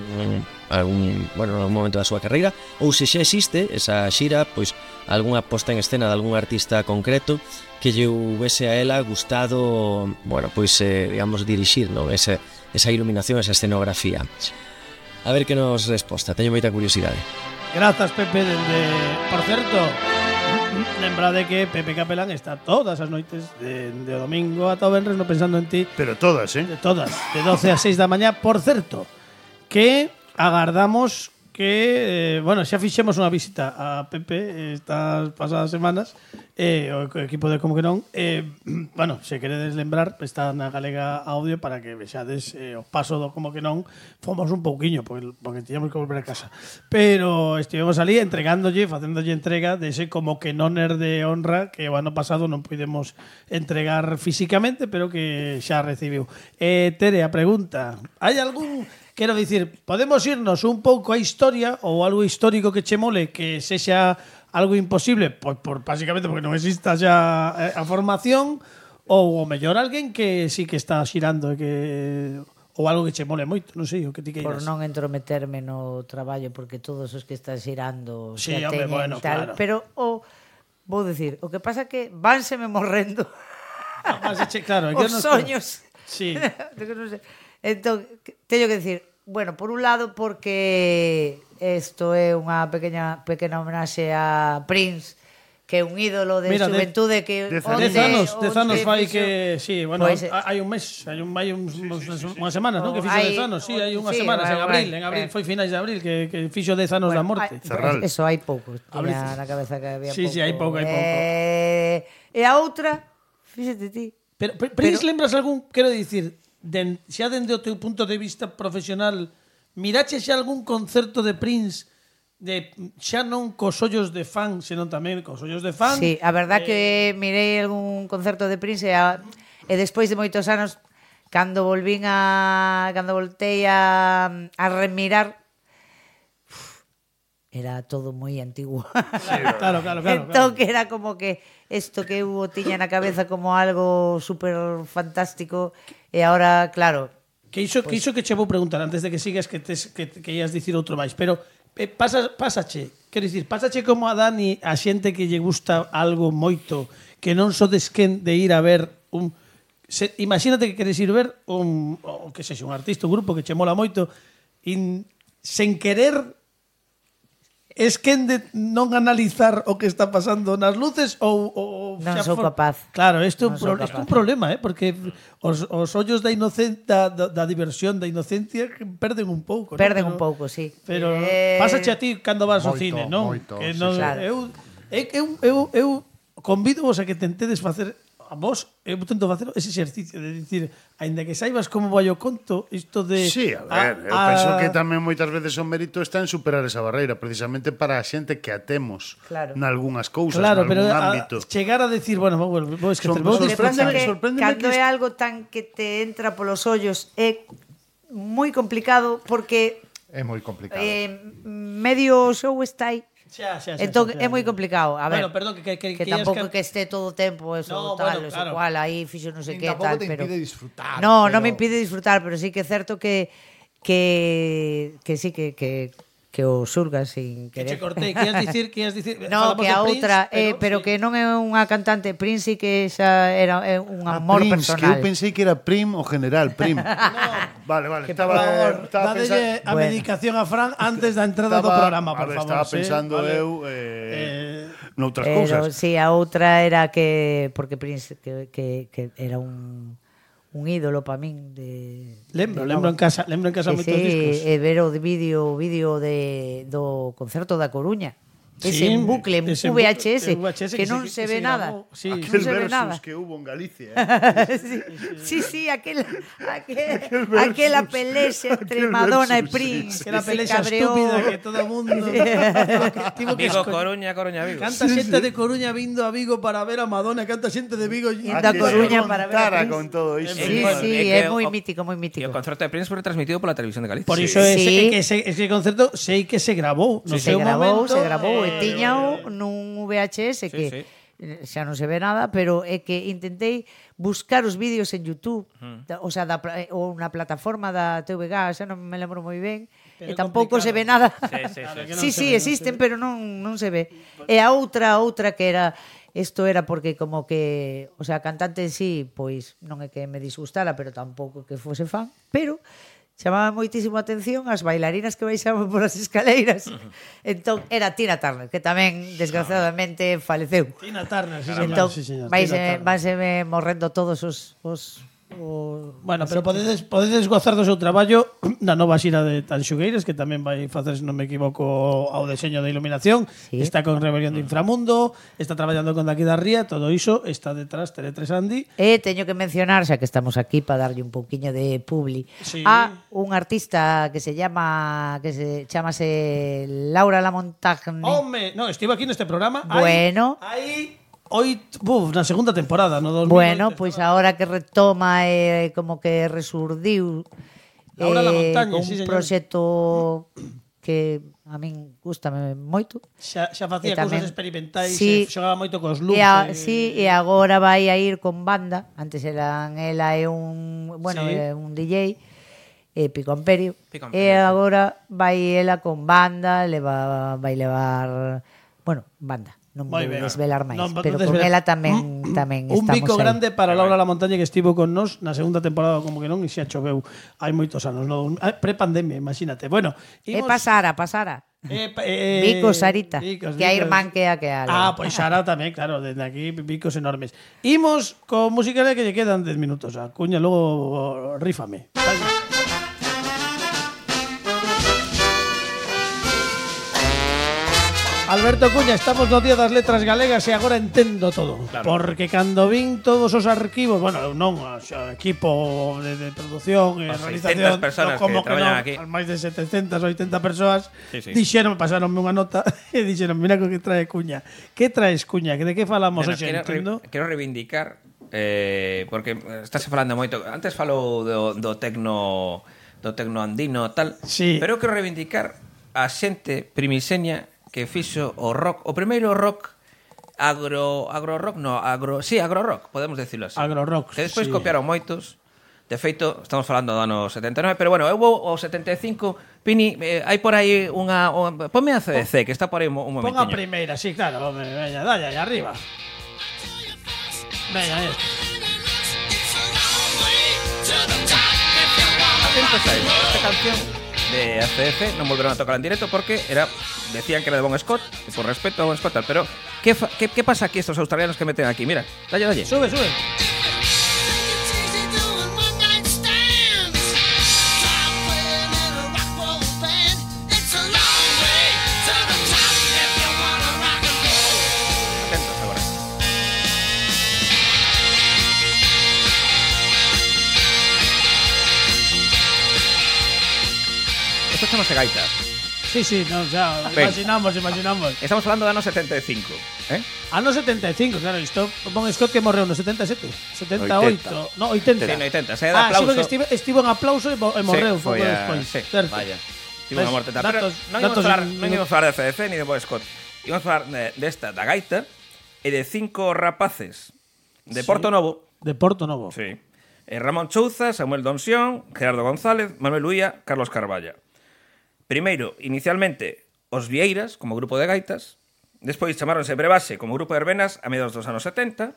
bueno, en algún momento da súa carreira, ou se xa existe esa xira, pois algunha posta en escena de algún artista concreto que lle houvese a ela gustado, bueno, pois digamos dirixir, non? Esa iluminación, esa escenografía. A ver que nos resposta, teño moita curiosidade. Grazas, Pepe, por certo, lembrade que Pepe Capelán está todas as noites de domingo ata o venres no Pensando en Ti. Pero todas, De todas, de 12 a 6 da mañá. Por certo, que agardamos que, bueno, xa fixemos unha visita a Pepe estas pasadas semanas, o equipo de Como que non, bueno, se queredes lembrar, está na Galega Audio para que vexades o paso do Como que non. Fomos un pouquiño, porque tiñamos que volver a casa, pero estivemos ali facéndolle entrega dese Como que noner de honra que o ano pasado non pudemos entregar físicamente, pero que xa recibiu. Tere, a pregunta, hai algún... Quero dicir, podemos irnos un pouco a historia ou algo histórico que che mole que sexa algo imposible, pois básicamente porque non exista xa a formación, ou o mellor alguén que sí que está xirando e que ou algo que che mole moito, non sei, o que ti queiras. Por non entrometerme no traballo, porque todos os que están xirando sí, xa teñen bueno, tal, claro. Pero vou dicir, o que pasa que vánseme morrendo claro, os soños. Sí. Non sei. Entón, teño que dicir, bueno, por un lado porque isto é unha pequena homenaxe a Prince, que é un ídolo de xuventude que 10 anos fai que sí, bueno, pues, hai un mes, hai unhas semanas, non? Que fixo 10 anos, sí, hai unhas semanas en abril, foi finais de abril que fixo 10 anos da morte. Eso hai pouco, tiña na cabeza que había pouco. Sí, hai pouco. E a outra, fíxate ti. Pero Prince, lembras algún, quero dicir, xa dende o teu punto de vista profesional, mirache xa algún concerto de Prince xa non cos ollos de fan, senón tamén cos ollos de fan? Sí, a verdad que mirei algún concerto de Prince e despois de moitos anos cando voltei a remirar, era todo moi antigo. Claro. Entón que era como que isto que eu tiña na cabeza como algo super fantástico e agora, claro. Que iso que che vou preguntar antes de que sigas que ias dicir outro máis, pero pásache, quero dicir, pásache como a Dani, a xente que lle gusta algo moito, que non sodes quen de ir a ver imagínate que queres ir ver un artista, un grupo que che mola moito, sen querer es quen de non analizar o que está pasando nas luces ou non sou capaz. Claro, isto é un problema, porque os ollos da diversión, da inocencia perden un pouco, un pouco, sí. Pero pásache a ti cando vas ao cine, non? Que non, claro. Eu convido-vos a que tentedes facer a vos, eu tento facer ese exercicio de dicir, aínda que saibas como vai o conto, isto de... Sí, a ver, eu penso que tamén moitas veces o mérito está en superar esa barreira, precisamente para a xente que atemos nalgúnas cousas, nalgún ámbito. Chegar a decir, bueno, vou esquecer, sorpréndeme cando é algo tan que te entra polos ollos é moi complicado, porque é moi complicado. Medio show está aí. Entón é moi complicado. A ver, Bueno, perdón, que tampouco que esté todo o tempo eso No, tal, bueno, eso claro. cual, aí fixo non sei que Tampouco tal, te pero impide disfrutar. No, pero- non me impide disfrutar, pero sí que é certo que sí que o xulgas sin Que querer. che cortei, que ias dicir, No, falamos que a de outra, Prince, pero sí. que non é unha cantante Prince, sí que xa era un amor Prince, que personal. eu pensei que era Prim o general, Prim. Vale, Por estaba favor, pensando... dádelle a medicación a Fran antes da entrada do programa, por favor. Estaba pensando vale. eu noutras Pero cousas. sí, a outra era que porque Prince que era un ídolo para min de Lembro en casa moitos discos. e ver o vídeo do concerto da Coruña. Ese en bucle, en ese VHS, VHS que non se ve nada. Sí. Non Aquel se ve versus nada. que hubo en Galicia. Sí, aquela pelexa entre Madonna e Prince. Que era se pelexa cabreou. estúpida que todo o mundo tivo que Vigo, escoller. Coruña, Vigo. Canta xente de Coruña vindo a Vigo para ver a Madonna, canta xente de Vigo Indo a Coruña para ver a Prince. con todo iso. Sí, é moi mítico, moi mítico. E o concerto de Prince foi retransmitido pola televisión de Galicia. Por iso ese concerto sei que se grabou no Se seu grabou, momento. se grabou e tiñao nun VHS que xa non se ve nada, pero é que intentei buscar os vídeos en YouTube, o sea, ou na plataforma da TVG, xa non me lembro moi ben, Pero e tampouco se ve nada. Sí, existen, pero non se ve. E a outra que era isto era porque como que, o sea, a cantante en sí, pois non é que me disgustara, pero tampouco que fose fan, pero chamaba moitísimo a atención as bailarinas que baixaban por as escaleiras. Entón, era Tina Turner, que tamén, desgraciadamente, faleceu. Tina Turner, sí, señor. Entón, Sí, señor, vaise Tina Turner. morrendo todos os Bueno, pero podedes gozar do seu traballo na nova xira de Tanxugueiras, que tamén vai facer, se non me equivoco, ao deseño de iluminación. Sí. Está con Rebelión de Inframundo, está traballando con Daqui da Ría, todo iso está detrás Tele3 Andy. E teño que mencionar, xa que estamos aquí para darlle un pouquiño de publi, Sí. a un artista que se chamase Laura Lamontagne. Home, no, estivo aquí neste programa. Bueno. Hai na segunda temporada, no 2008. Bueno, pois agora que retoma como que resurdiu Laura Lamontagne, con sí, un señor. proxecto que a min gústame moito. Xa facía E tamén- cousas experimentais, Sí. xogaba moito cos looks. Sí, e agora vai a ir con banda. Antes ela é un, bueno, Sí. é un DJ, Pico Amperio. Pico E Amperio, sí. agora vai ela con banda, vai levar, bueno, banda. Non vou Moi ben. desvelar máis, Non, pero non con desvelar. ela tamén Un estamos bico aí. grande para Laura Lamontagne, que estivo con nos na segunda temporada, como que non, e xa choveu hai moitos anos, no? Pre-pandemia, imagínate. Bueno, Pasara. Vico, Sarita, Vicos, que a Vicos. irmán que a Ale. Pois Sara tamén, claro, desde aquí bicos enormes. Imos con música que lle quedan 10 minutos. A Cuña, logo rífame. Alberto Cuña, estamos no Día das Letras Galegas e agora entendo todo. Claro. Porque cando vin todos os arquivos, bueno, eu non, o equipo de producción e As realización, 600 personas como que traballan non, aquí. as máis de 700 ou 80 persoas, Sí, sí. dixeron, pasaronme unha nota e dixeron, mira co que trae Cuña. Que traes, Cuña? Que de que falamos Bueno, hoxe? Entendo? quero reivindicar porque estás falando moito. Antes falou do tecno andino tal, Sí. pero eu quero reivindicar a xente primixeña que fixo o rock, o primeiro rock agro rock, podemos decirlo así. Agro rock, Que despois sí. copiaron moitos. De feito, estamos falando do ano 79, pero bueno, hubo o 75, Pini, hai por aí unha ponme a CDC, que está por aí un Pon a momentiño. primeira, sí, claro, home, veña, dale, allá arriba. Veña, Atentos a esto, esta canción de ACF non volveron a tocar en directo porque decían que era de Bon Scott, y por respeto a Bon Scott, tal, pero ¿qué pasa aquí estos australianos que meten aquí? Mira, dalle. Sube. Atentos agora. Esto chamase gaita. Sí, no, xa, Ben. imaginamos. Estamos falando do ano 75, eh? Ano 75, claro, isto Bon Scott que morreu no 77, 78, 80. no, 80. Sí, no 80, se dá Sí, aplauso. porque estivo en aplauso e morreu pouco foi despois. sí, Certo. Vaya. Tivo unha morte tal. Pero Datos- non íbamos datos falar, in- non íbamos falar de CDC ni de Bob Scott. Íbamos falar desta, da gaita, e de 5 rapaces de Porto Novo. De Porto Novo. Sí. Ramón Chouza, Samuel Donsión, Gerardo González, Manuel Uía, Carlos Carballa. Primeiro, inicialmente, os Vieiras, como grupo de gaitas. Despois chamaronse Brebaxe como grupo de verbenas a mediados dos anos 70.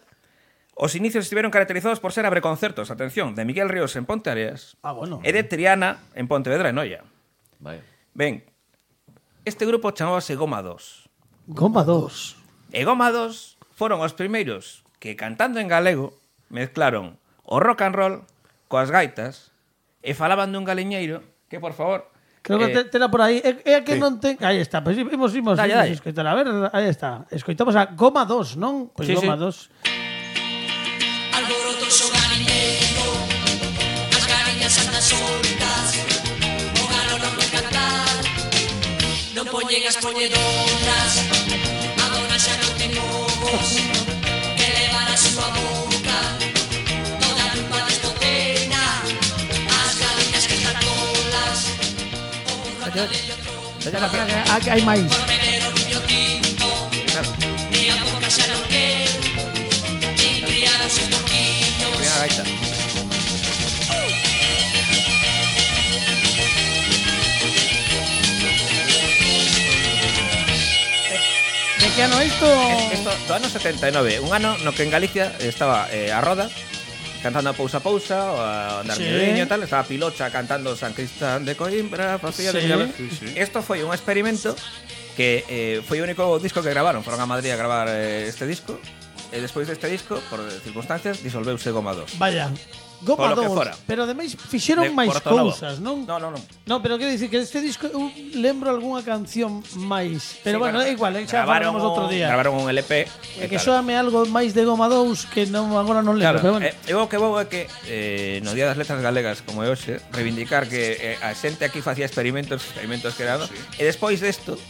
Os inicios estiveron caracterizados por ser abreconcertos, atención, de Miguel Ríos en Ponte Areas e de Triana en Pontevedra e Noia. Vaya. Ben, este grupo chamábase Goma 2. Goma 2. E Goma 2 foron os primeiros que, cantando en galego, mezclaron o rock and roll coas gaitas e falaban dun galiñeiro que, por favor... Creo que tela por aí. É que sí. non ten... Aí está. Pois imos Dalle, dalle. escoitar. A ver, aí está. Escoitamos a Goma 2, non? Pois Sí, Goma sí. 2. Alborotoso galiñeiro, as galiñas andan soltas, o galo non vai cantar, non poñen as poñedoras, a dona xa non ten ovos, que levar a súa boca, toda a culpa de estocena, as galiñas que están tolas, o Aquí hai máis. por beber o viño tinto, e a boca xa non quer, nin criar os seus boquiños. Mira a gaita. De que ano isto? Isto do ano 79, un ano no que en Galicia estaba a Roda cantando a Pousa Pousa, o a Andar Sí. Miudiño e tal, estaba Pilocha cantando San Cristán de Coimbra, facía de Sí. Millaver. Isto foi un experimento que foi o único disco que gravaron, foron a Madrid a gravar este disco, e despois deste disco, por circunstancias, disolveuse Goma 2. Vaya. Goma Polo que 2. fora. Pero ademais fixeron De máis Porto Novo. cousas, non? No. No, pero quero dicir que este disco eu lembro algunha canción máis. Pero Sí, bueno, é igual, xa grabaron falamos outro día. Grabaron un LP. É que soame algo máis de Goma 2 que non agora non lembro, pero Claro, bueno. eu o que vou é que no Día das Letras Galegas, como é hoxe, reivindicar que a xente aquí facía experimentos que eran, e despois desto,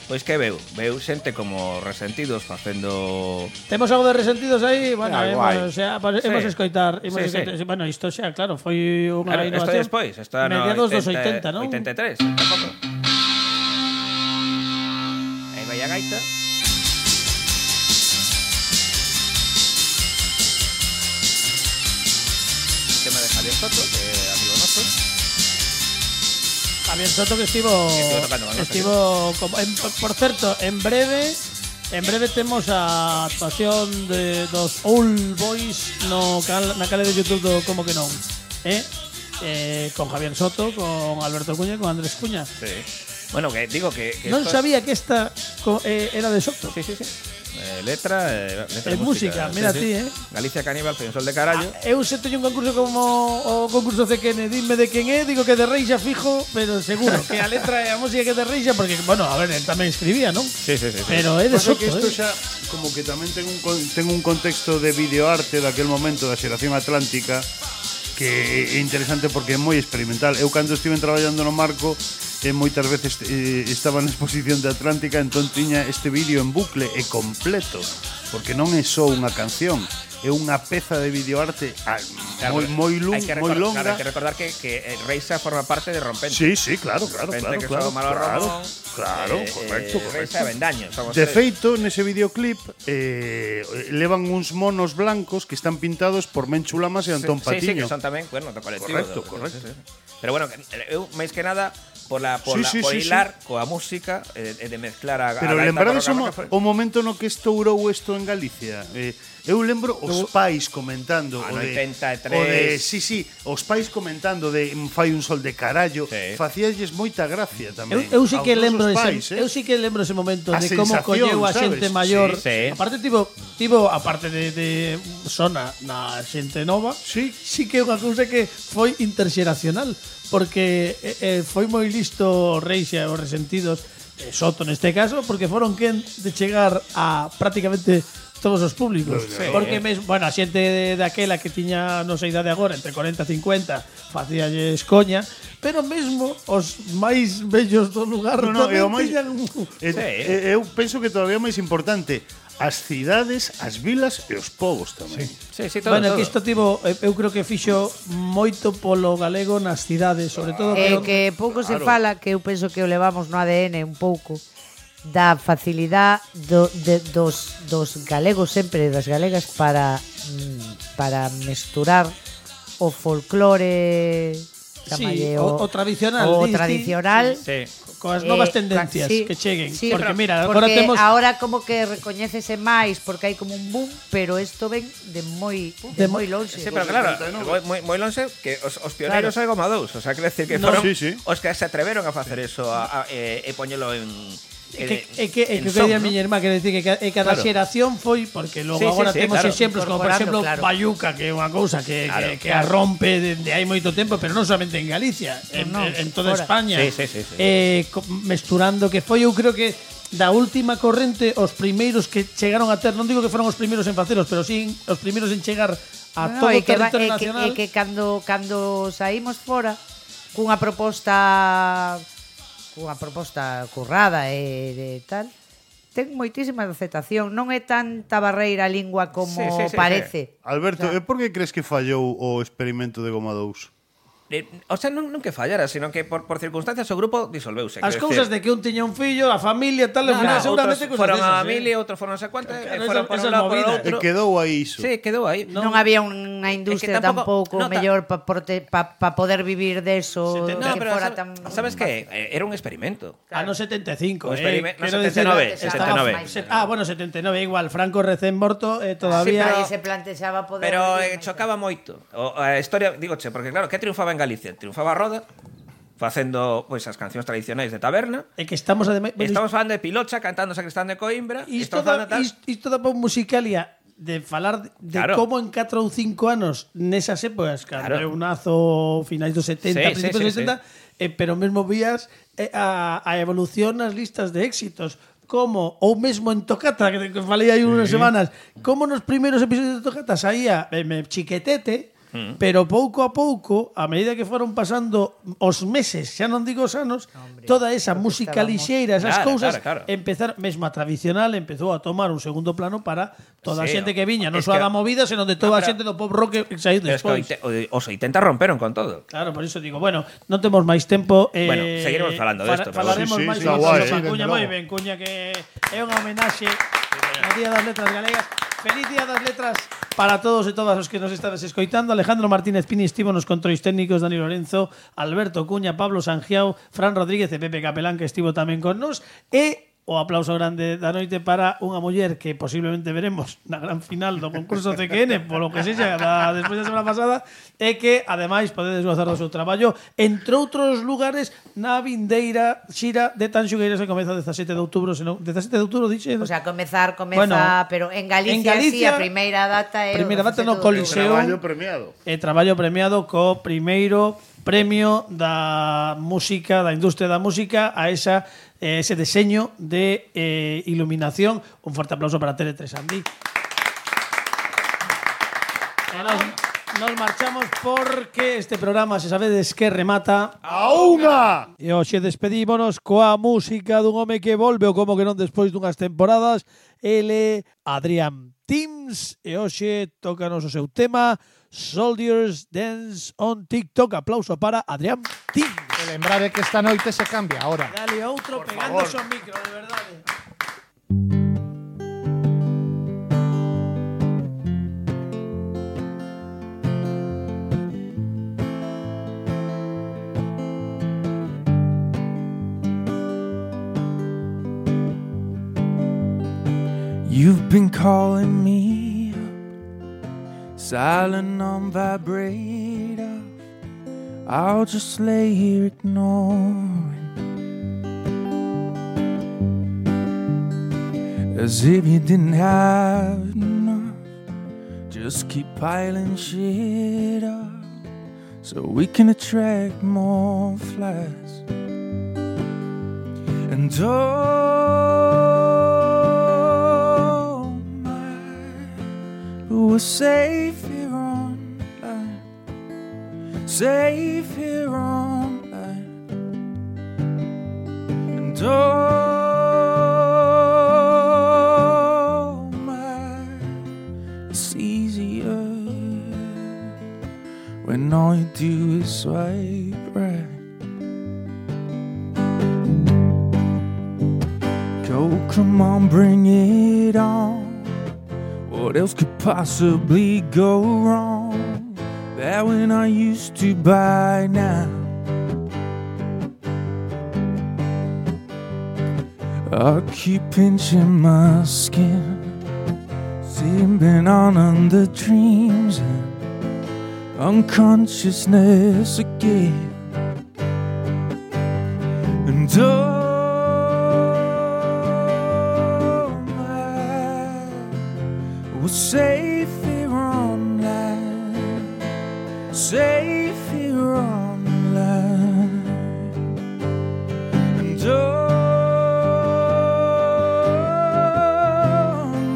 pois que veu xente como Resentidos facendo... Temos algo de Resentidos aí, bueno, Ah, guai. imos, xa, imos Sí. escoitar, Sí, sí. Bueno, isto xa, claro, foi unha Claro, isto innovación. despois, isto no mediados dos 80, non? 83, tampouco. Aí vai a gaita. Tema de Javier Soto, que é amigo noso. Javier Soto que estivo tocando con nós, por certo, en breve temos a actuación de dos Old Boys na canal de YouTube do Como que non. Con Javier Soto, con Alberto Cuña e con Andrés Cuña. Sí. Bueno, que digo que Non esto sabía que esta era de Soto. Sí. Letra E música, mira ti, Galicia Caníbal, foi un sol de carallo. Eu se teño un concurso como o concurso CQN, dime de quen é, digo que de Reixa fijo, pero seguro que a letra e a música que de Reixa, porque, bueno, a ver, él tamén escribía, non? Sí. Pero é de Pasa Soto, que isto xa como que tamén ten un contexto de videoarte daquel momento da xeración atlántica que é interesante porque é moi experimental. Eu cando estive traballando no Marco moitas veces estaba na exposición de Atlántica, entón tiña este vídeo en bucle e completo, porque non é só unha canción, é unha peza de videoarte moi longa. Claro, hai que recordar que Reixa forma parte de Rompente. Sí, claro. Rompente, que son Malo Romón, Correcto. Reixa e Vendaño. De feito, nese videoclip levan uns monos blancos que están pintados por Menchu Lamas e Antón Patiño. Sí, que son tamén, bueno, do colectivo. Correcto. Sí. Pero bueno, eu máis que nada por hilar coa música e de mezclar a Pero gaita lembrades barroca, o momento no que estourou isto en Galicia? Eu lembro os pais comentando no 83. Os pais comentando de fai un sol de carallo, facíalles moita gracia tamén. Eu sí que aos lembro nosos pais, eu sí que lembro ese momento A de como sensación, colleu a xente sabes? maior. Sí. Aparte tivo aparte de sona na xente nova, sí que é unha cousa que foi interxeracional, porque foi moi listo Reixa e os Resentidos, Soto neste caso, porque foron quen de chegar a prácticamente todos os públicos. Porque mesmo, bueno, a xente daquela que tiña, non sei idade agora, entre 40 e 50, facíalles coña, pero mesmo os máis bellos do lugar tamén tiñan... Eu penso que todavía máis importante, as cidades, as vilas e os povos tamén. Sí, todo, bueno, todo. que isto tivo, eu creo que fixo moito polo galego nas cidades, sobre todo que pouco se fala, que eu penso que o levamos no ADN un pouco, da facilidade dos galegos sempre, das galegas para mesturar o folclore, o tradicional, o tradicional, sí. coas novas tendencias que cheguen, sí, porque mira, porque agora temos ahora como que recoñécese máis porque hai como un boom, pero isto ven de moi longe. Sí, pero claro, moi longe que os pioneiros é Goma 2, o sea, quer decir que foron os que se atreveron a facer eso e poñelo en que día a miña irmá, que decir que cada xeración foi, porque logo agora temos exemplos como por exemplo Bayuca, que é unha cousa que a rompe de hai moito tempo, pero non solamente en Galicia, en toda España, mesturando, que foi, eu creo que da última corrente os primeiros que chegaron a ter, non digo que foron os primeiros en facelos, pero sí os primeiros en chegar a todo o territorio nacional. E que cando saímos fora cunha proposta currada e tal, ten moitísima aceptación, non é tanta barreira a lingua como parece. Alberto, e por que crees que fallou o experimento de Goma 2? O sea, non que fallara, sino que por circunstancias o grupo disolveuse. As cousas de que un tiña un fillo, a familia, tal, ao final seguramente cousas foron a familia, outros foron non sei cuánto, foron por un lado, por outro. E quedou aí iso. Sí, quedou aí. Non había unha industria tampouco mellor para poder vivir deso, que fora tan... Sabes que era un experimento. No 75, no 79. Bueno, 79 igual, Franco recén morto, todavía... Sí, pero aí se plantexaba poder... Pero chocaba moito. A historia, digoche, porque claro, que triunfaba en Galicia? Triunfaba a Roda, facendo pois as cancións tradicionais de taberna. E que estamos falando de Pilocha cantando Sacristán de Coimbra. Isto da pop musicalia de falar de como en 4 ou 5 anos nesas épocas, cando eu nazo finais dos 70, principios dos 70, pero mesmo vías a evolución nas listas de éxitos, como, ou mesmo en Tocata, que falei aí unhas semanas, como nos primeiros episodios de Tocata saía Chiquetete, pero pouco a pouco, a medida que foron pasando os meses, xa non digo os anos, toda esa música lixeira, esas cousas, empezaron, mesmo a tradicional empezou a tomar un segundo plano para toda a xente que viña, non só da movida, senón de toda a xente do pop rock que saiu despois. Os 80 romperon con todo. Claro, por iso digo, bueno, non temos máis tempo. Bueno, seguiremos falando desto. Falaremos máis sobre Cuña, moi ben, Cuña, que é unha homenaxe ao Día das Letras Galegas. Feliz Día das Letras para todos e todas os que nos estades escoitando. Alejandro Martínez Pini estivo nos controis técnicos, Dani Lorenzo, Alberto Cuña, Pablo Sangiao, Fran Rodríguez e Pepe Capelán, que estivo tamén con nos, e o aplauso grande da noite para unha muller que posiblemente veremos na gran final do concurso CQN, polo que sexa despois da semana pasada, e que ademais podedes gozar do seu traballo entre outros lugares na vindeira xira de Tanxugueiras que comeza 17 de outubro, senón 17 de outubro dixe. O sea, comeza, bueno, pero en Galicia sí, a primeira data é no Coliseo. Traballo premiado. Traballo premiado co primeiro premio da música, da industria da música a ese diseño de iluminación. Un forte aplauso para Tele3 Andí. Nos marchamos porque este programa, se sabedes que remata a unha. E hoxe despedímonos coa música dun home que volve, ou como que non despois dunhas temporadas. Ele, Adrián Teams, e hoxe tócanos o seu tema Soldiers Dance on TikTok. Aplauso para Adrián Teams. E lembrade que esta noite se cambia ahora. Dale outro pegándose ao micro, de verdade. You've been calling me up, silent on vibrator. I'll just lay here ignoring, as if you didn't have enough. Just keep piling shit up so we can attract more flies. And we're safe here online, safe here online. And oh swipe right. Oh, come on, bring it on. What else could possibly go wrong? That when I used to buy now, I keep pinching my skin, sleeping on the dreams and unconsciousness again. And we're safe here on land, safe here on land.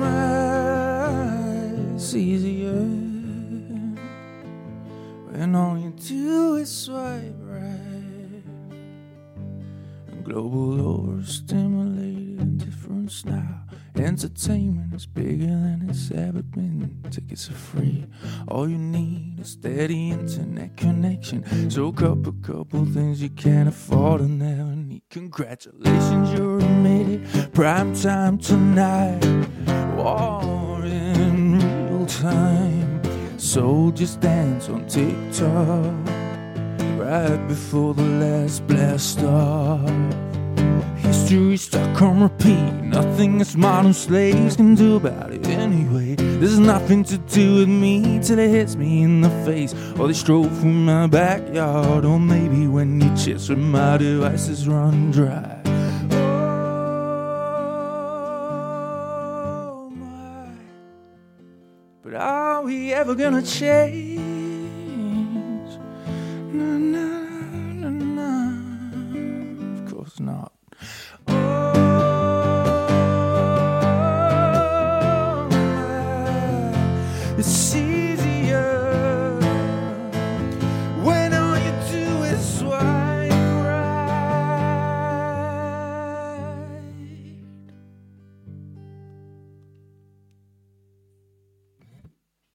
And it's easier when all you do is swipe right. And global overstimulated indifference now. Entertainment is bigger than it's ever been. Tickets are free. All you need is steady internet connection. Soak up a couple things you can't afford and never need. Congratulations, you're admitted. Prime time tonight. War in real time. Soldiers dance on TikTok right before the last blast off. History stuck on repeat. Nothing us modern slaves can do about it anyway. There's nothing to do with me till it hits me in the face, or they stroll through my backyard, or maybe when your chips with my devices run dry. Oh my, but are we ever gonna change? Na, na, na, na. Of course not. See